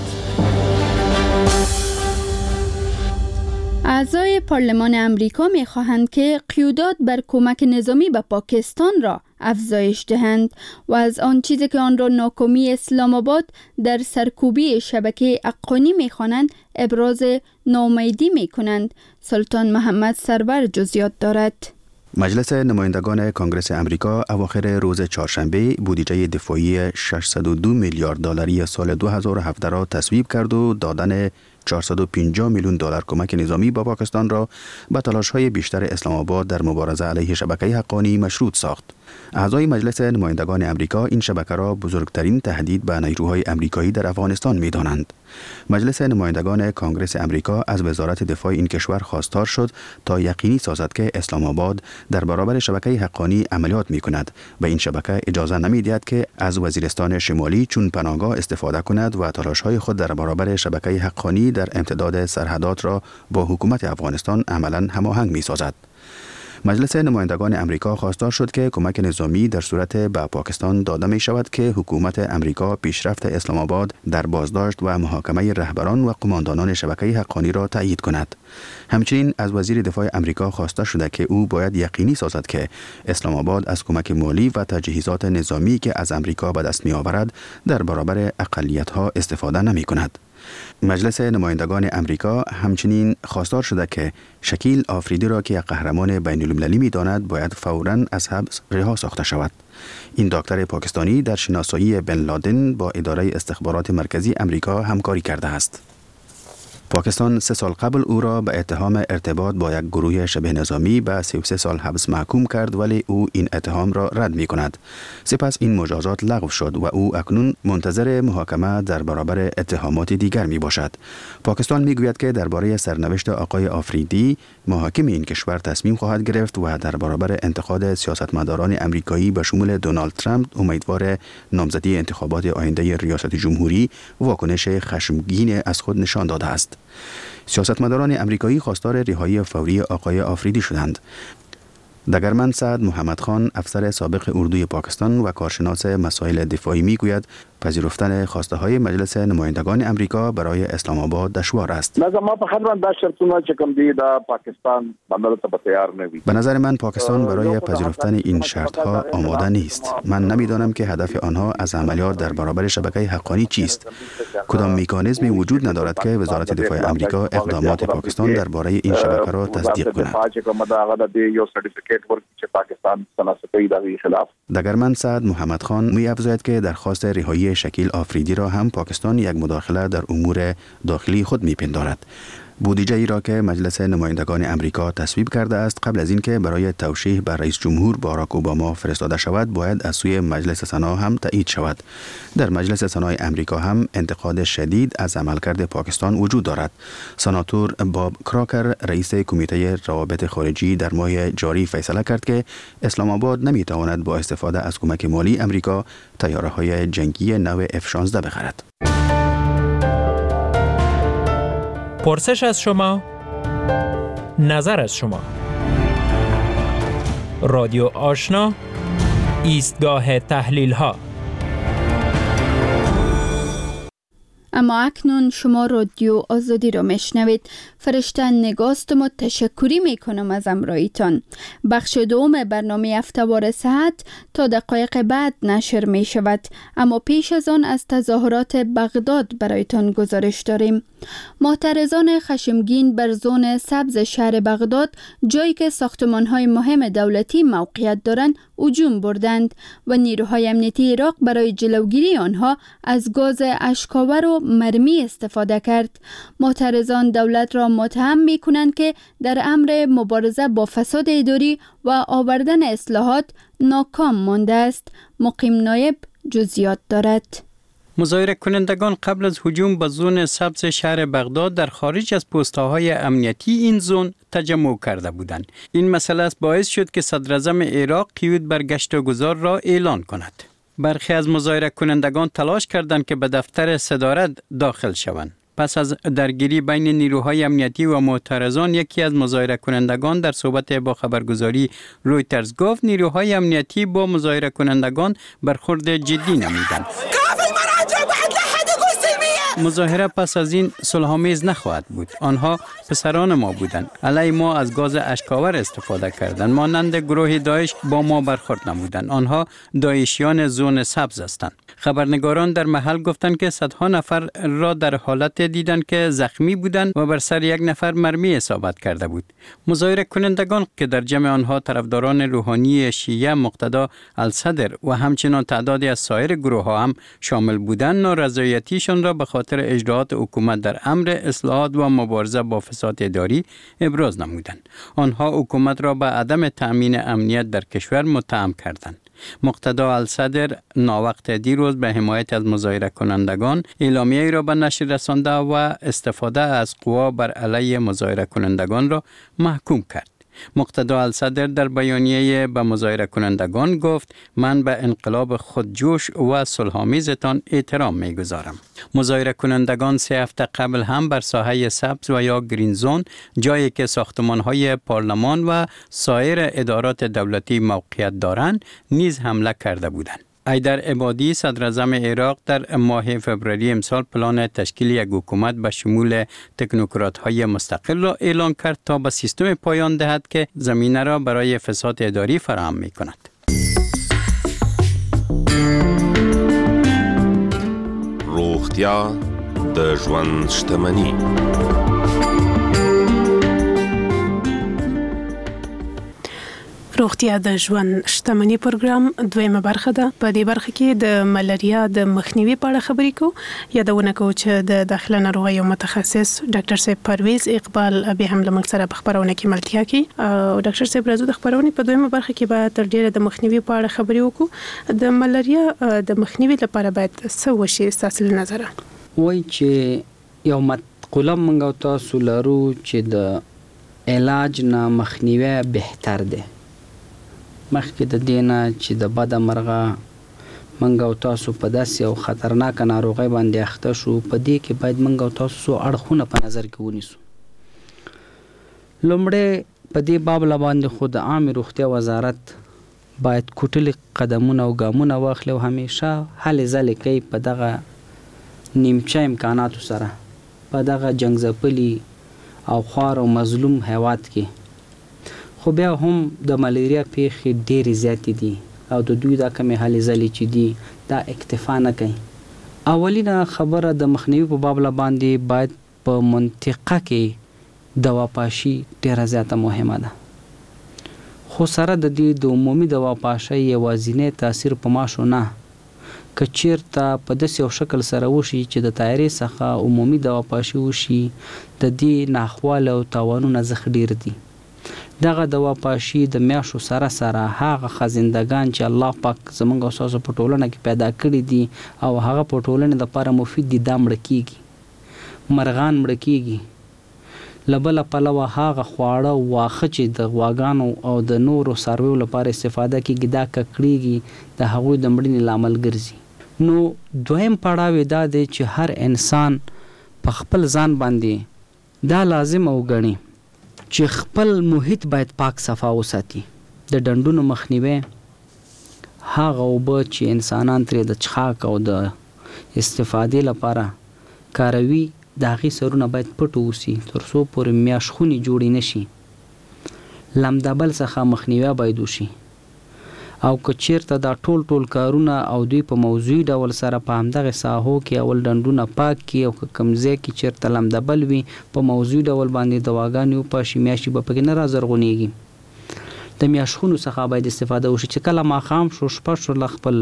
اعضای پارلمان امریکا می خواهند که قیودات بر کمک نظامی به پاکستان را افزایش دهند و از آن چیزی که آن را ناکامی اسلام آباد در سرکوبی شبکه حقانی می خوانند ابراز ناامیدی می کنند. سلطان محمد سرور جزئیات دارد. مجلس نمایندگان کنگرس امریکا اواخر روز چهارشنبه بودجه دفاعی 602 میلیارد دلاری سال 2017 را تصویب کرد و دادن 450 میلیون دلار کمک نظامی با پاکستان را به تلاش‌های بیشتر اسلام آباد در مبارزه علیه شبکه حقانی مشروط ساخت. اعضای مجلس نمایندگان امریکا این شبکه را بزرگترین تهدید به نیروهای امریکایی در افغانستان می‌دانند. مجلس نمایندگان کنگرس امریکا از وزارت دفاع این کشور خواستار شد تا یقینی سازد که اسلام آباد در برابر شبکه حقانی عملیات می‌کند و این شبکه اجازه نمی‌دهد که از وزیرستان شمالی چون پناهگاه استفاده کند و تلاش‌های خود در برابر شبکه حقانی در امتداد سرحدات را با حکومت افغانستان عملاً هماهنگ می‌سازد. مجلس نمایندگان امریکا خواستار شد که کمک نظامی در صورت به پاکستان داده می شود که حکومت امریکا پیشرفت اسلام آباد در بازداشت و محاکمه رهبران و قماندانان شبکه حقانی را تایید کند. همچنین از وزیر دفاع امریکا خواسته شده که او باید یقینی سازد که اسلام آباد از کمک مالی و تجهیزات نظامی که از امریکا به دست می آورد در برابر اقلیت ها استفاده نمی کند. مجلس نمایندگان امریکا همچنین خواستار شده که شکیل آفریدی را که یک قهرمان بین المللی می داند باید فوراً از حبس رها ساخته شود. این دکتر پاکستانی در شناسایی بن لادن با اداره استخبارات مرکزی امریکا همکاری کرده است. پاکستان 3 سال قبل او را به اتهام ارتباط با یک گروه شبه نظامی به 33 سال حبس محکوم کرد، ولی او این اتهام را رد می کند. سپس این مجازات لغو شد و او اکنون منتظر محاکمه در برابر اتهامات دیگر می باشد. پاکستان می گوید که درباره سرنوشت آقای آفریدی محاکم این کشور تصمیم خواهد گرفت و در برابر انتقاد سیاستمداران امریکایی به شمول دونالد ترامپ، امیدوار نامزدی انتخابات آینده ریاست جمهوری، واکنش خشمگین از خود نشان داده است. سیاستمداران امریکایی خواستار رهایی فوری آقای آفریدی شدند. دگرمن سعد محمد خان، افسر سابق اردوی پاکستان و کارشناس مسائل دفاعی، میگوید پذیرفتن خواسته های مجلس نمایندگان امریکا برای اسلام آباد دشوار است. به نظر من پاکستان برای پذیرفتن این شرط ها آماده نیست. من نمیدانم که هدف آنها از عملیات در برابر شبکه حقانی چیست. کدام مکانیزمی وجود ندارد که وزارت دفاع امریکا اقدامات پاکستان درباره این شبکه را تصدیق کند. دگرمن سعد محمد خان می افزاید که درخواست رهایی شکیل آفریدی را هم پاکستان یک مداخله در امور داخلی خود میپندارد. بودجه ای را که مجلس نمایندگان امریکا تصویب کرده است قبل از اینکه برای توشیح بر رئیس جمهور باراک اوباما فرستاده شود باید از سوی مجلس سنا هم تایید شود. در مجلس سنای امریکا هم انتقاد شدید از عملکرد پاکستان وجود دارد. سناتور باب کراکر، رئیس کمیته روابط خارجی، در ماه جاری فیصله کرد که اسلام آباد نمیتواند با استفاده از کمک مالی امریکا طیاره‌های جنگی نوع F-16 بخرد. پرسش از شما، نظر از شما. رادیو آشنا، ایستگاه تحلیل ها. اما اکنون شما رادیو آزادی را میشنوید. فرشته نگاست ما تشکری میکنم از امرایتان. بخش دوم برنامه هفته‌وار صحت تا دقایق بعد نشر میشود، اما پیش از آن از تظاهرات بغداد برایتان گزارش داریم. معترضان خشمگین بر زون سبز شهر بغداد، جایی که ساختمان‌های مهم دولتی موقعیت دارند، هجوم بردند و نیروهای امنیتی عراق برای جلوگیری آنها از گاز اشک‌آور و مرمی استفاده کرد. معترضان دولت را متهم می‌کنند که در امر مبارزه با فساد اداری و آوردن اصلاحات ناکام مانده است. مقیم نایب جزئیات دارد. مظاهره کنندگان قبل از هجوم به زون سبز شهر بغداد در خارج از پست‌های امنیتی این زون تجمع کرده بودند. این مسئله است باعث شد که صدراعظم عراق قیود بر گشت و گذار را اعلان کند. برخی از مظاهره کنندگان تلاش کردند که به دفتر صدارت داخل شوند. پس از درگیری بین نیروهای امنیتی و معترضان، یکی از مظاهره کنندگان در صحبت با خبرگزاری رویترز گفت نیروهای امنیتی با مظاهره کنندگان برخورد جدی نمودند. مظاهره پس از این صلح‌آمیز نخواهد بود. آنها پسران ما بودند. علیه ما از گاز اشک‌آور استفاده کردند. مانند گروه داعش با ما برخورد نمودند. آنها داعشیان زون سبز هستند. خبرنگاران در محل گفتند که صدها نفر را در حالت دیدند که زخمی بودند و بر سر یک نفر مرمی اصابت کرده بود. مظاهره کنندگان که در جمع آنها طرفداران روحانی شیعه مقتدا الصدر و همچنان تعدادی از سایر گروه ها هم شامل بودند، نارضایتیشان را به خاطر اجراعات حکومت در امر اصلاحات و مبارزه با فساد اداری ابراز نمودند. آنها حکومت را به عدم تأمین امنیت در کشور متهم کردند. مقتدا الصدر ناوقت دیروز به حمایت از مظاهره کنندگان اعلامیه‌ای را به نشر رسانده و استفاده از قوا بر علیه مظاهره کنندگان را محکوم کرد. مقتدا الصدر در بیانیه به مظاهره کنندگان گفت من به انقلاب خودجوش و صلح‌آمیزتان احترام می‌گذارم. مظاهره کنندگان 3 هفته قبل هم بر ساحه سبز و یا گرین زون، جایی که ساختمان‌های پارلمان و سایر ادارات دولتی موقعیت دارند، نیز حمله کرده بودند. حیدر عبادی صدراعظم عراق در ماه فوریه امسال پلان تشکیل یک حکومت به شمول تکنوکرات‌های مستقل را اعلان کرد تا به سیستم پایان دهد که زمینه را برای فساد اداری فراهم می‌کند. روغتیا د ژوند شتمني. روغتیا د ژوند شتمني پروګرام دویمه برخه ده. په دې برخه کې د ملاریا د مخنیوي په اړه خبرې کوو. یادونه کوو چې د داخله ناروغیو متخصص ډاکټر صاحب پرویز اقبال بیا هم له موږ سره په خپرونه کې ملتیا کوي. او ډاکټر صاحب راځو د خپرونې په دویمه برخه کې به تر ډېره د مخنیوي په اړه خبرې وکړو. د ملاریا د مخنیوي لپاره باید څه وشي ستاسو له نظره؟ وایي چې یو مقوله موږ او تاسو لرو چې د علاج نه مخنیوی بهتر دی. مخکې د دې نه چې د بده مرغه موږ او تاسو په داسې یو خطرناکه ناروغۍ باندې اخته شو، په دې کې باید موږ او تاسو څو اړخونه په نظر کې ونیسو. لومړی په دې بابله باندې خو د عامې روغتیا وزارت باید کوټلي قدمونه او ګامونه واخلي او همیشه هلې ځلې کوي په دغه نیمچه امکاناتو سره په دغه جنګ ځپلي او خوار او مظلوم هیواد کې. خو بیا هم د ملیریا پیښې ډېرې زیاتې دي او د دوی دا کمې هلې ځلې چې دي دا اکتفا نه کوي. اولینه خبره د مخنیوي په بابله باندې باید په منطقه کې دواپاشي ډېره زیاته مهمه ده. خو سره د دې د عمومي دواپاشۍ یوازینی تاثیر په ماشو نه، که چیرته په داسې یو شکل سره وشي چې د طیارې څخه عمومي دواپاشي وشي، د دې ناخوالې او تاوانونه زښت ډېر دي. دغه دواپاشي د میاشو سره سره هغه خزندګان چې الله پاک زمونږ او ستاسو په ټولنه کې پیدا کړي دي او هغه په ټولنې لپاره مفید دي، دا مړه کیږي، مرغان مړه کیږي. له بله پلوه هغه خواړه او واښه چې د غواګانو او د نورو څارویو لپاره استفاده کیږي، دا ککړیږي، د هغوی د مړینې لامل ګرځي. نو دویم پړاو یې دا دی چې هر انسان په خپل ځان باندې دا لازمه وګڼي چې خپل محیط باید پاک صفا وساتي. د ډنډونو مخنیوی، هغه اوبه چې انسانان ترې د څښاک او د استفادې لپاره کاروي، د هغې سرونه باید پټ اوسي تر څو پورې میاشخونې جوړې نه شي. لمدبل څخه مخنیوی باید وشي او که چیرته دا ټول ټول کارونه او دوی په موضوعي ډول سره په همدغې ساحو کې اول ډنډونه پاک کړي او که کوم ځای کې چیرته لمدبل وي په موضوعي ډول باندې دواګانې وپاشي، میاشي به پکې نه رازرغونیږي. د میاشخونو څخه باید استفاده وشي چې کله ماښام شو، شپه شوله، خپل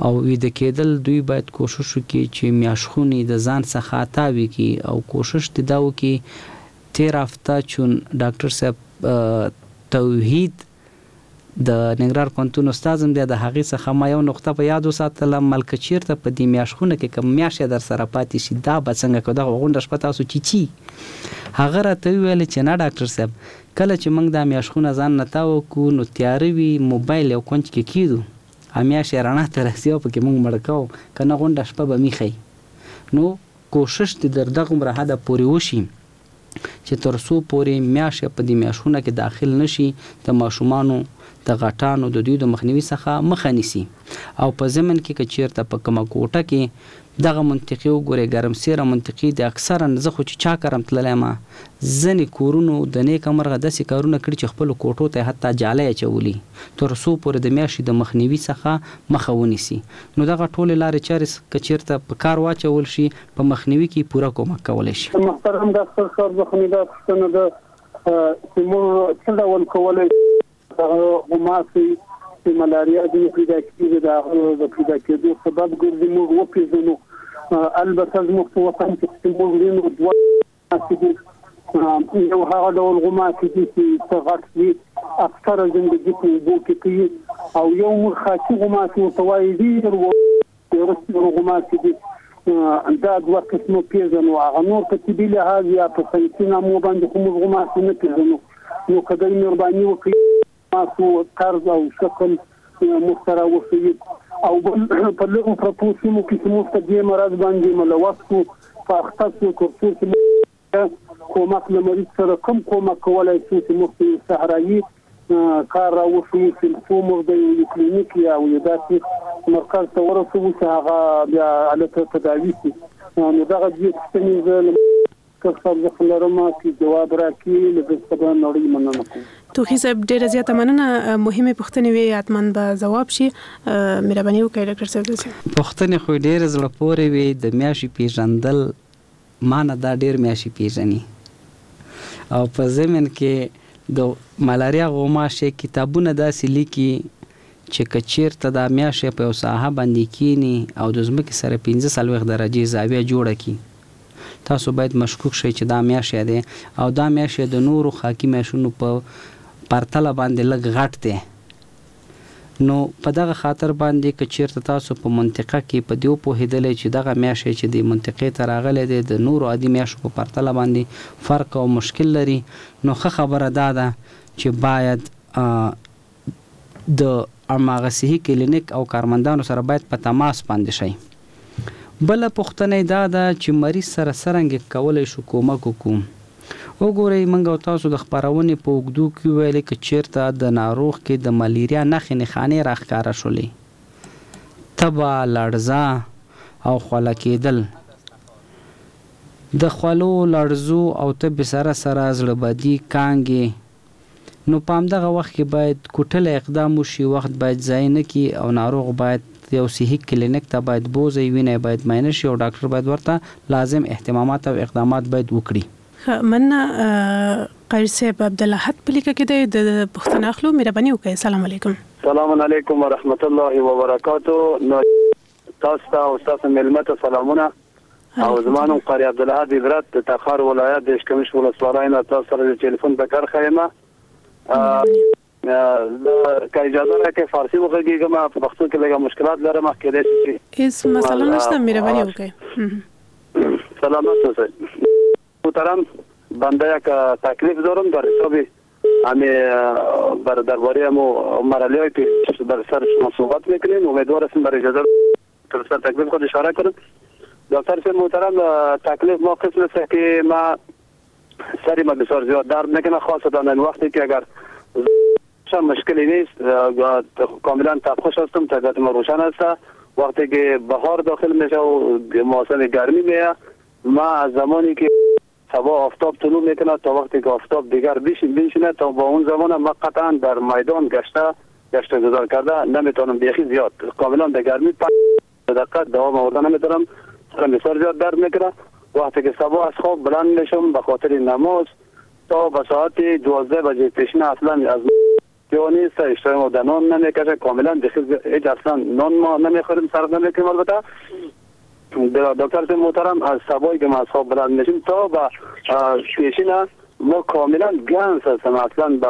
او ویده کېدل دوی باید کوشش وکړي چې میاشخونې د ځان څخه تاوې کړي او کوشش دې دا وکړي. تېره هفته چون ډاکټر صاحب توحید د ننګرهار پوهنتون استاد هم دی، د هغې څخه ما یو نقطه په یاد وساتله، مل که چیرته په دې میاشخونه کې کوم میاشت درسره پاتې شي دا به څنګه کوو، دغه غونډه شپه تاسو چیچی. هغه راته وویل چې نه ډاکټر صاحب، کله چې موږ دا میاشخونه ځان نه تاوه کړو نو تیاره وي، موبایل یو کونج کې کیدو، میاشت یې رڼا ته رسي او پکې موږ مړ کوو، که نه غونډه شپه به میخی. نو کوشش دې در دغومره حده پورې وشي چې تر څو پورې میاشت په دې میاشتونه کې داخل نشي، د ماشومانو، د غټانو د دوی د مخنیوي څخه مخه نیسي. او په ضمن کې که چیرته په کومه کوټه کې دغه منطقي وګورئ، ګرمسیره منطقي دي، اکثرا زه خو چې چا کرم تللی ما ځینې کورونو د نیکه مرغه داسې کارونه کړي چې خپلو کوټو ته یې حتی جالۍ اچولي تر څو پورې د میاشتې د مخنیوي څخه مخه ونیسي. نو دغه ټولې لارې چارې که چیرته په کار واچول شي په مخنیوي کې پوره کومک کولی شي. محترم ډاکټر صاحب، زه خو مې دا پوښتنه ده چې موږ څه ډول کولی دغه غوماشې چې ملاریا ځینې پیدا کېږي د هغه د پیدا کېدو سبب ګرځي موږ وپېژنو؟ البته زموږ په وطن کې چې موږ وینو دوه غوماشې دي، یو هغه ډول غوماشې دي چې څه غټ دي، اکثره زندګي په اوبو کې کوي، او یو موږ خاکي غوماشې ورته وایي، ډېر وړه غوماشې دي. دا دوه قسمه پېژنو. هغه نور په طبي لحاظ یا په ساینسي نامو باندې خو موږ غوماشې نه پېژنو. نو که دی مهرباني وکړي تاسو طرز او شکل موږ ته راوښيي. او بل په لرو پرتو سیمو کې چې موږ په دې مرض باندې ملوث شو، په اخته شو، تر څو چې موږ کومک له مریض سره کوم کومک کولای شو چې موږ ته یو صحرایي کار راوښيي چې څو موږ د یو کلینیک یا یو داسې مرکز ته ورسوو چې هغه بیا هلته تداوي شي. نو دغه دوې پوښتنې زه له ډاکټر صاحب څخه لرم چې جواب راکړي، له ده څخه به نړۍ مننه کوم. توخي صاحب ډیره زیاته مننه، مهمې پوښتنې وې، حتما به ځواب شي، مهرباني وکړئ ډاکټر صاحب داسې. پوښتنې خو یې ډېرې زړه پورې وې، د میاشي پېژندل مانه دا ډېر میاشي پېژني او په ضمن کې د ملاریا غوماشې کتابونه داسې لیکي چې که چېرته دا میاشی په یو ساحه باندې کېني او د ځمکې سره 45 درجې زاویه جوړه کړي تاسو باید مشکوک شئ چې دا میاشی دی او دا میاشی د نورو خاکي میاشونو په پرتله باندې لږ غټ دی نو په دغه خاطر باندې که چېرته تاسو په منطقه کې په دې وپوهېدلی چې دغه میاشی چې دې منطقې ته راغلی دی د نورو عادي میاشو په پرتله باندې فرق او مشکل لري نو ښه خبره دا ده چې باید د هماغه صحي کلینیک او کارمندانو سره باید په تماس باندې شئ. بله پوښتنه یې دا ده چې مریض سره څرنګه کولی شو کومک وکړو؟ وګورئ موږ او تاسو د خپرونې په اوږدو کې وویلې که چېرته د ناروغ کې د ملیریا نښې نښانې راښکاره شولې، تبه، لړزه او خوله کېدل، د خولو، لړزو او تبې سره سره زړه بدي، کانګې، نو په همدغه وخت کې باید کوټلی اقدام وشي، وخت باید ضایع نه کړي او ناروغ باید یو صحي کلینیک ته باید بوځئ، وینه یې باید معاینه شي او ډاکټر باید ورته لازم اهتمامات او اقدامات باید وکړي. ښه مننه قاري صاحب عبدالاحد په لیکه کې دی د پوښتنه اخلو مهرباني وکړئ سلام علیکم. سلام علیکم ورحمت الله وبرکاته تاسو ته او ستاسو میلمه ته سلامونه او زما نوم قاري عبدالاحد عبرت د تخار ولایت د اشکمش ولسوالۍ نه تاسو سره د ټلیفون په کرښه یم. که اجازه راکړئ فارسي وغږېږم، په پښتو کې لږه مشکلات لرم، کېدای شي چې هیڅ مسله نشته، مهرباني وکړئ. سلامت اوسئ. محترم بنده یک تکلیف دارم در حساب همی بر درباره همو مرحله های که بر سر شما صحبت میکنیم. امیدوار هستم بر اجازه تر سر تکلیف خود اشاره کنم. دکتر صاحب محترم، تکلیف ما قسم است که ما سری ما بسیار زیاد درد میکنه، خاصتا این وقتی که اگر مشکلی نیست، کاملا تبخوش هستم، طبیعت ما روشن است. وقتی که بهار داخل میشه و موسم گرمی میه، ما از زمانی که صبح آفتاب طلوع میکنه تا وقتی که آفتاب دیگر بشینه تا با اون زمان ما قطعا در میدان گشت گذار کرده نمیتونم، بیخی زیاد کاملا در گرمی 5 دقیقه دوام آورده نمیتونم، سرم بسیار زیاد درد میکنه. وقتی که صبح از خواب بلند میشم به خاطر نماز تا به ساعت 12 بجه پیشین اصلا از یا نیست، اشتهای ما در نان نمیکشه، کاملا هیچ اصلا نان ما نمیخوریم، صرف نمیکنیم. البته دکتر محترم از صبحی که ما از خواب بلند میشیم تا به پیشین ما کاملا گنس هستم، اصلا به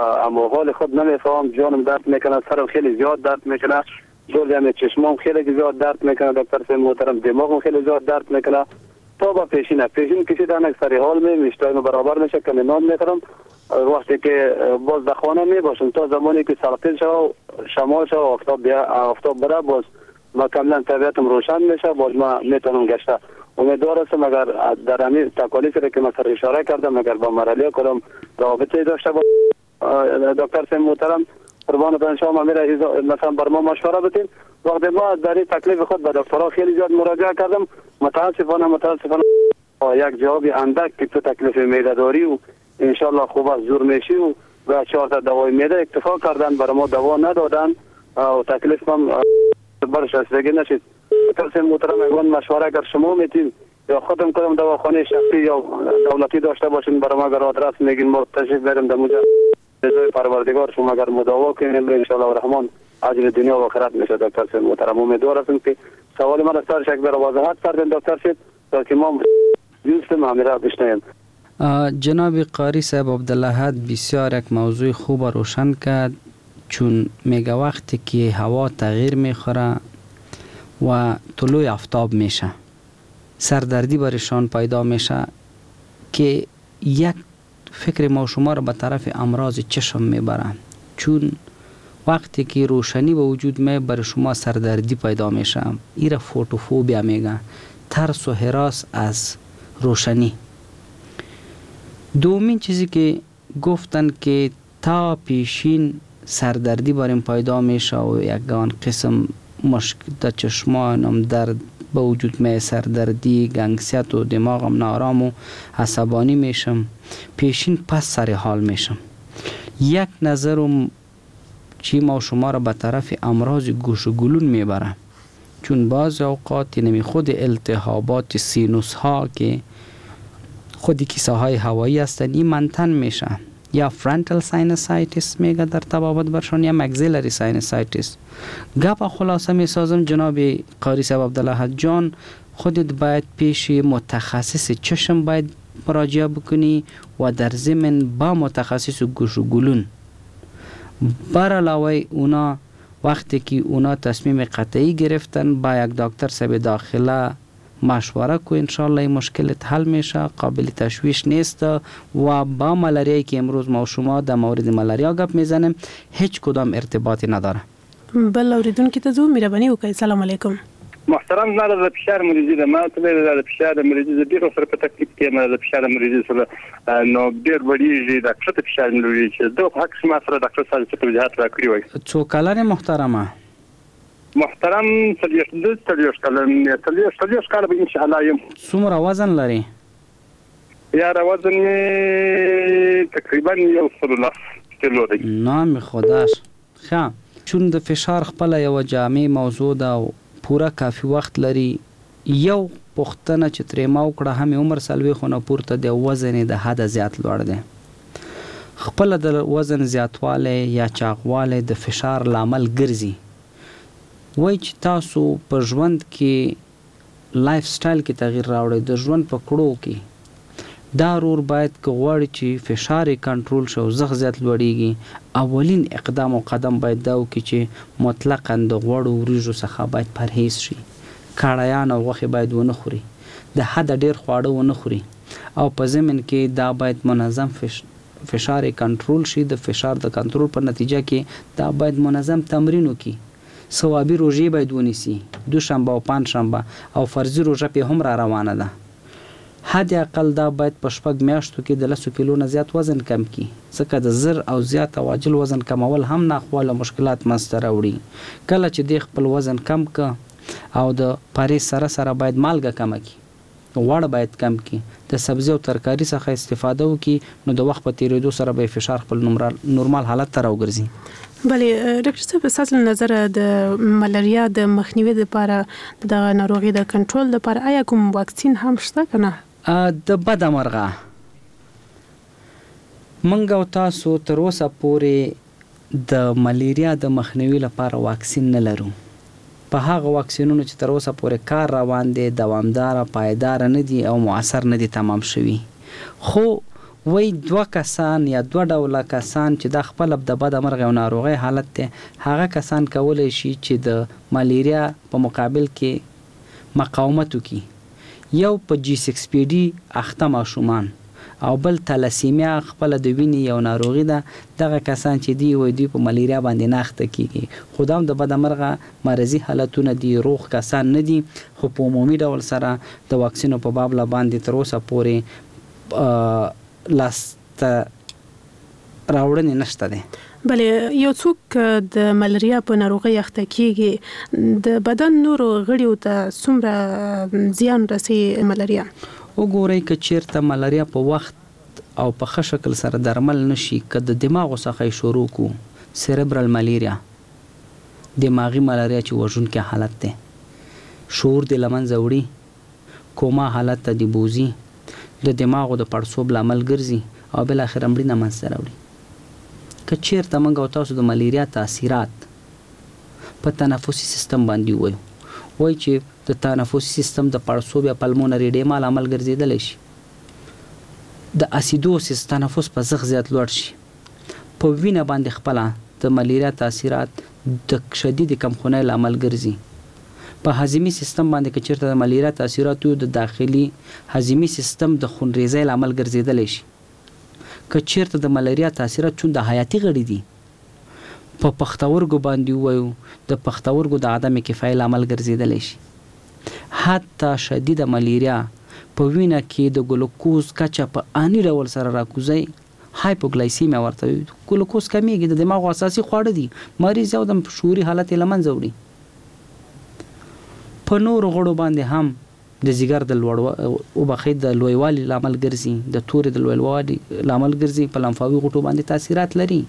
حال خود نمیفهم، جانم درد میکنه، سرم خیلی زیاد درد میکنه، دور چشمام خیلی زیاد درد میکنه دکتر محترم، دماغم خیلی زیاد درد میکنه تا با پیشین کشیدن یک سری حال می اشتهای برابر میشه که نان میخورم. وقتی که باز در خانه می باشم تا زمانی که سرقین شو شمال شو آفتاب بره، باز ما کاملا طبیعتم روشن میشه، باز ما میتونم گشته. امیدوار هستم اگر در همین تکالیفی که من سر اشاره کردم اگر با مرحله کدام رابطه داشته با دکتر سیم محترم قربانتان شما میره مثلا بر ما مشوره بدین. وقتی ما در این تکلیف خود به دکترها خیلی زیاد مراجعه کردم، متاسفانه یک جواب اندک که تو تکلیف معده داری و انشالله خوب از زور میشی و به 4 تا دوای معده اکتفا کردن، برای ما دوا ندادن و تکلیف هم برش رسیدگی نشد. دکتر محترم اگوان مشوره اگر شما میتین یا خودم کدام دواخانه شخصی یا دولتی داشته باشین برای ما اگر آدرس میگین ما تشریف بریم در موجه رضای پروردگار شما اگر مداوا کنیم انشالله الرحمن اجر دنیا و آخرت میشه. دکتر صاحب محترم امیدوار هستم که سوال من از سر شک بر وضاحت کردن دکتر صاحب تا که ما دوستم همیره بشنویم. جناب قاری صاحب عبدالاحد بسیار یک موضوع خوب روشن کرد، چون میگه وقتی که هوا تغییر میخوره و طلوع آفتاب میشه سردردی برشان پیدا میشه که یک فکر ما شما رو به طرف امراض چشم میبره، چون وقتی که روشنی به وجود می بر شما سردردی پیدا میشه. ایره فوتوفوبیا میگه، ترس و هراس از روشنی. دومین چیزی که گفتن که تا پیشین سردردی بریم پیدا میشه و یکان قسم مشک در چشمانم درد به وجود می، سردردی، گنگسیت و دماغم ناآرام و عصبانی میشم، پیشین پس سر حال میشم. یک نظرم چی ما شما را به طرف امراض گوش و گلون میبره، چون بعض اوقات یعنی خود التهابات سینوس ها که خود کیسه های هوایی هستند این منتن میشه، یا frontal sinusitis میگه در طبابت برشان یا maxillary sinusitis. گپ خلاصه میسازم جناب قاری صاحب عبدالله جان، خودت باید پیش متخصص چشم باید مراجعه بکنی و در ضمن با متخصص گوش و گلون. بر علاوه اونا وقتی که اونا تصمیم قطعی گرفتن با یک دکتر صاحب داخله مشوره کو، انشالله این مشکلت حل میشه، قابل تشویش نیست. و با ملاریایی که امروز ما و شما در مورد ملاریا گپ میزنیم هیچ کدام ارتباطی نداره. بل اوریدونکي ته ځو، مهرباني وکړئ. سلام علیکم. محترم، زما د فشار مریضي ده، ما ته ویل د فشار مریضي زه ډېر ورسره په تکلیف کې یم، د فشار مریضي سره نو ډېر لوړېږي، دا کښته فشار مې لوړېږي، چې دغه په حق کښې ما سره ډاکټر صاحب څه توضیحات راکړي وای. څو کلن یې محترمه؟ محترم 40 کلن، 40 کاله به انشاءالله یم. څومره وزن لرې؟ یاره وزن مې تقریبا 110 کیلو دی. نام خداش. ښه، چون د فشار خپله یوه جامع موضوع ده او پوره کافي وخت لري، یو پوښتنه چې ترې ما وکړه، هم یې عمر 40 نه پورته دی، وزن یې د حده زیات لوړ دی. خپله د وزن زیاتوالی یا چاغوالی د فشار لامل ګرځي. وایي چې تاسو په ژوند کې life style کې تغییر راوړئ، د ژوند په کړو کې. دا رور باید که غواړي چې فشار یې کنټرول شي او زخ زیات لوړیږي، اولین اقدام او قدم باید دا وکړي چې مطلقاً د غوړو وریژو څخه باید پرهیز شي، کړایان او غوښې باید ونه خوري، د حده ډیر خواړه ونه خوري، او په ضمن کې دا باید منظم فشار یې کنټرول شي. د فشار د کنټرول په نتیجه کې دا باید منظم تمرین وکړي، ثوابي روژې باید ونیسي، دوشنبه او پنجشنبه، او فرضي روژه پې هم را روانه ده. حد اقل دا باید په 6 میاشتو کې د 10 کیلو نه زیات وزن کم کړي، ځکه د زر او زیات او عاجل وزن کمول هم ناخواله مشکلات منځته راوړي. کله چې دی خپل وزن کم که او د پرهیز سره سره باید مالګه کمه کړي، غوړ باید کم کړي، د سبزي او ترکاري څخه استفاده وکړي، نو د وخت په تېرېدو سره به یې فشار خپل نورمال حالت ته راوګرځي. بله ډاکټر صاحب، ستاسو له نظره د ملاریا د مخنیوي لپاره، دغه ناروغي د کنټرول لپاره آیا کوم واکسین هم شته که نه؟ د بده مرغه موږ او تاسو تر اوسه پورې د ملیریا د مخنیوي لپاره واکسین نه لرو. په هغه واکسینونو چې تر اوسه پورې کار روان دی، دوامداره، پایداره نه دي او مؤثر نه دي تمام شوي. خو وایي دوه کسان یا دوه ډوله کسان چې دا خپله د بده مرغه یو ناروغۍ حالت دی، هغه کسان کولی شي چې د ملیریا په مقابل کې مقاومت وکړي. یو په G6PD اخته ماشومان او بل تلاسیمیا خپله د وینې یو ناروغي ده. دغه کسان چې دی وایي دوی په ملیریا باندې نه اخته کیږي، خو دا هم د بده مرغه مرضي حالتونه دي، روغ کسان نه دي. خو په عمومي ډول سره د واکسینو په باب له باندې تر اوسه پورې لاسته راوړنې نشته دی. بله، یو څوک د ملاریا په ناروغۍ اخته کیږي، د بدن نورو غړیو ته څومره زیان رسي ملاریا؟ وګورئ، که چیرته ملاریا په وخت او په ښه شکل سره درمل نشي، که د دماغو څخه یې شروع کو، cerebral malaria، دماغي ملاریا چې وژونکی حالت دی، شعور دې له منځه وړي، کوما حالت ته دې بوځي، د دماغو د پړسوب لامل ګرځي او بالاخره مړینه منځته راوړي. که چیرته موږ او تاسو د ملیریا تاثیرات په تنفسي سیستم باندې ووایو، وایي چې د تنفسي سیستم د پړسوب یا pulmonary edema لامل ګرځېدلی شي، د acidosis تنفس په زخ زیات لوړ شي، په وینه باندې خپله د ملیریا تاثیرات د شدیدې کمخونۍ لامل ګرځي، په هضمي سیستم باندې که چیرته د ملیریا تاثیرات وي، د داخلي هضمي سیستم د خونریزۍ لامل ګرځېدلی شي. که چیرته د ملاریا تاثیرات چون د حیاتي غړي دي، په پښتورګو باندې ووایو، د پښتورګو د عدم کفایي لامل ګرځېدلی شي. حتی شدیده ملیریا په وینه کې د ګلوکوز کچه په آني ډول سره راکوزي، hypoglycemia ورته وایي، ګلوکوز کمیږي، د دماغو اساسي خواړه دي، مریض یو دم شعوري حالت یې له منځه وړي. په نورو غړو باندې هم د ځیګر د لوړ وبخښئ د لویوالي لامل ګرځي، د تورې د لویوالي لامل ګرځي، په لمفاوي غوټو باندې تاثیرات لري.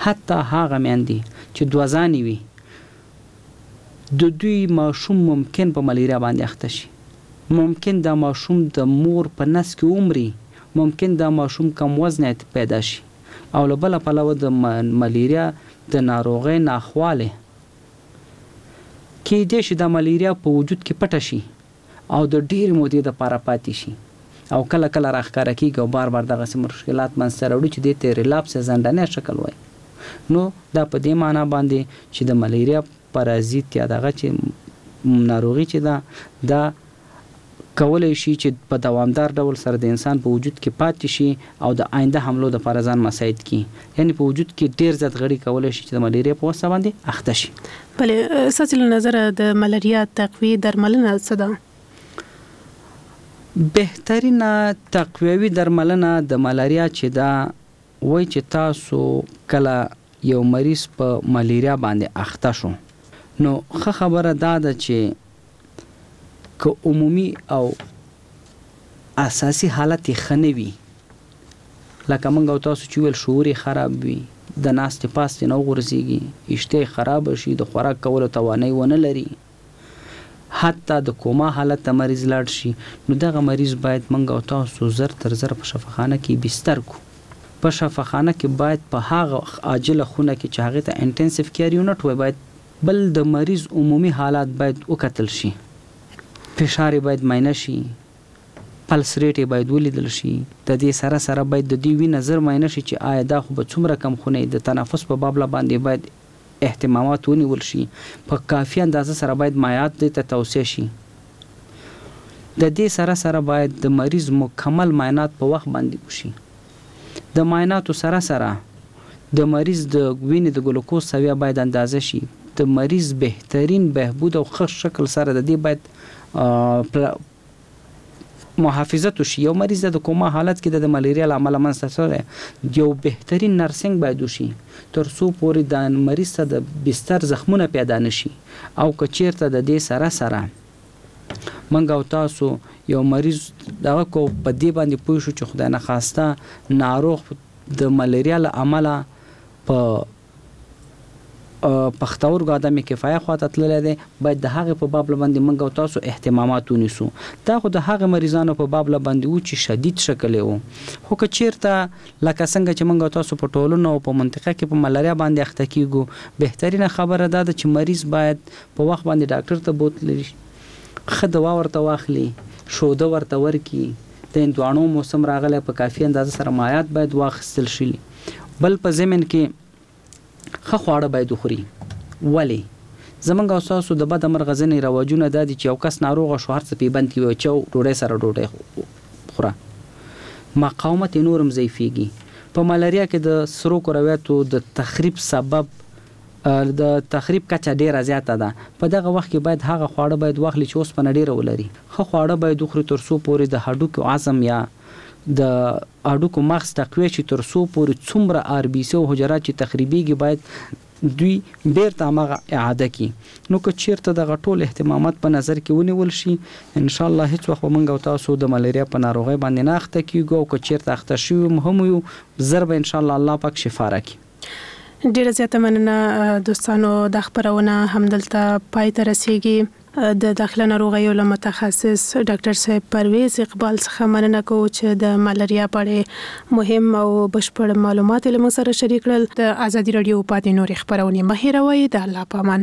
حتی هغه میندې چې دوه ځانې وي د دوی ماشوم ممکن په ملیریا باندې اخته شي، ممکن دا ماشوم د مور په نس کې ومري، ممکن دا ماشوم کم وزنی پیدا شي. او له بله پلوه د ملیریا د ناروغۍ ناخوالې کیدای شي دا ملیریا په وجود کې پټه شي او د ډېرې مودې دپاره پاتې شي او کله کله راښکاره کېږي او بار بار دغسې مشکلات منځته راوړي چې دې ته ریلاپس یا ځنډنی شکل وایي. نو دا په دې معنا باندې چې د ملیریا پرازیت یا دغه چې ناروغي چې ده دا کولی شي چې په دوامدار ډول سره د انسان په وجود کې پاتې شي او د آینده حملو دپاره ځان مساعد کړي، یعنې په وجود کې ډېر زیات غړي کولی شي چې د ملیریا په واسطه باندې اخته شي. بله، ستاسې له نظره د ملاریا تقویې درملنه څه ده؟ بهترینه تقویوي درملنه د ملاریا چې ده وایي چې تاسو کله یو مریض په ملیریا باندې اخته شو نو ښه خبره دا ده چې که عمومي او اساسي حالت یې ښه نه وي، لکه موږ او تاسو چې وویل شعور یې خراب وي، د ناستې پاستې نه وغورځېږي، اشتها یې خرابه شي، د خوراک کولو توانایي ونه لري، حتی د کوما حالت ته مریض لاړ شي، نو دغه مریض باید موږ او تاسو زر تر زره په شفاخانه کې بستر کړو. په شفاخانه کې باید په هغه عاجله خونه کې چې هغې ته انټنسیو کیر یونټ وایي باید بل د مریض عمومي حالات باید وکتل شي، فشار یې باید معاینه شي، پلس ریټ یې باید ولیدل شي، د دې سره سره باید د دې وینه زر معاینه شي چې آیا دا خو به څومره کم خونه د تنفس په بابله باندې باید اهتمامات ونیول شي، په کافي اندازه سره باید مایعات دې ته توصیه شي. د دې سره سره باید د مریض مکمل معاینات په وخت باندې وشي. د معایناتو سره سره د مریض د وینې د ګلوکوز سویه باید اندازه شي، د مریض بهترین بهبود او ښه شکل سره د دې باید محافظت وشي. یو مریض د کوما حالت کې د ملیریا له امله منځته راغلی، یو بهترین نرسنګ باید وشي تر څو پورې د مریض ته د بستر زخمونه پیدا نشي. او که چیرته د دې سره سره موږ او تاسو یو مریض دغه کو په دې باندې پوه شو چې خدای نخواسته ناروغ د ملیریا له امله په پښتورګو عدم کفایه خواته تللی دی، باید د هغې په باب باندې موږ او تاسو اهتمامات ونیسو. دا خو د هغې مریضانو په باب باندې وو چې شدید شکل یې وو، خو که چیرته لکه څنګه چې موږ او تاسو په ټولنه او په منطقه کې په ملاریا باندې اخته کیږو، بهترینه خبره دا ده چې مریض باید په وخت باندې ډاکټر ته بوتلي، ښه دوا ورته واخلي، شوده ورته ورکړي، د هندواڼو موسم راغلی په کافي اندازه سره مایعات باید واخیستل شي. بل په ضمن کې ښه خواړه باید وخوري. ولې زمونږ او ستاسو د بده مرغه ځینې رواجونه دا دي چې یو کس ناروغه شو هر څه پې بند کړي، وایي چاو ډوډۍ سره ډوډۍ خوره، مقاومت یې نور هم ضعیفېږي. په ملاریا کې د سرو کرویاتو د تخریب سبب د تخریب کچه ډیره زیاته ده. په دغه وخت کې باید هغه خواړه باید واخلي چې اوسپنه ډیره ولري. ښه خواړه باید وخوري تر څو پورې د هډوکو عظم یا د هډوکو مغز تقویه شي، تر څو پورې څومره آر بي سي او حجرات چې تخریبیږي باید دوی بیرته هماغه اعاده کړي. نو که چیرته دغه ټول اهتمامات په نظر کې ونیول شي، ان شاء الله هیڅ وخت به موږ او تاسو د ملیریا په ناروغۍ باندې نه اخته کیږو، او که چیرته اخته شوي هم یو، زر به ان شاء الله الله پاک شفا راکړي. ډیره زیاته مننه دوستانو، دا خپرونه همدلته پای ته رسیږي. د داخله ناروغیو له متخصص ډاکټر صاحب پرویز اقبال څخه مننه کوو چې د ملاریا په اړه مهم او بشپړ معلومات یې له موږ سره شریک کړل. د ازادي راډیو پاتې نورې خپرونې مه هېروئ. د الله په امان.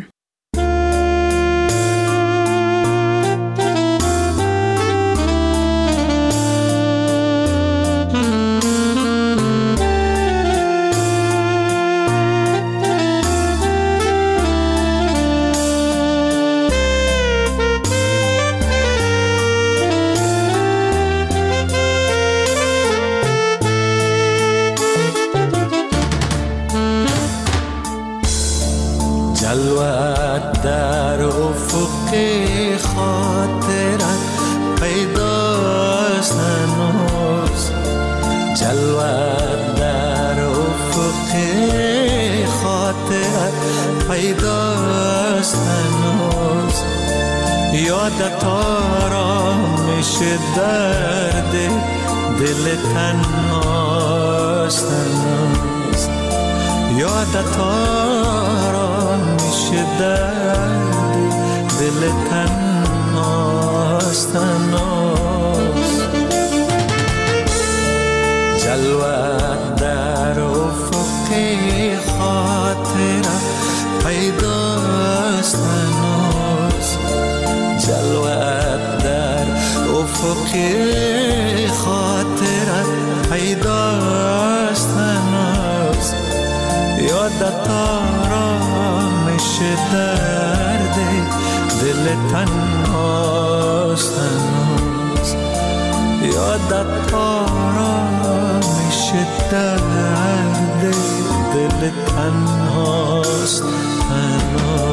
در افق خاطرت پیداست هنوز، جلوت در افق خاطرت پیداست هنوز. یادت آرامش درد دل تنهاست هنوز، یادت آرامش درد دل تنهاست هنوز. جلوه در افق خاطره پیداست هنوز، جلوه در افق خاطره پیداست هنوز، یادت آرامش درد دل تنهاست هنوز، یادت آرامش درد دل تنهاست هنوز.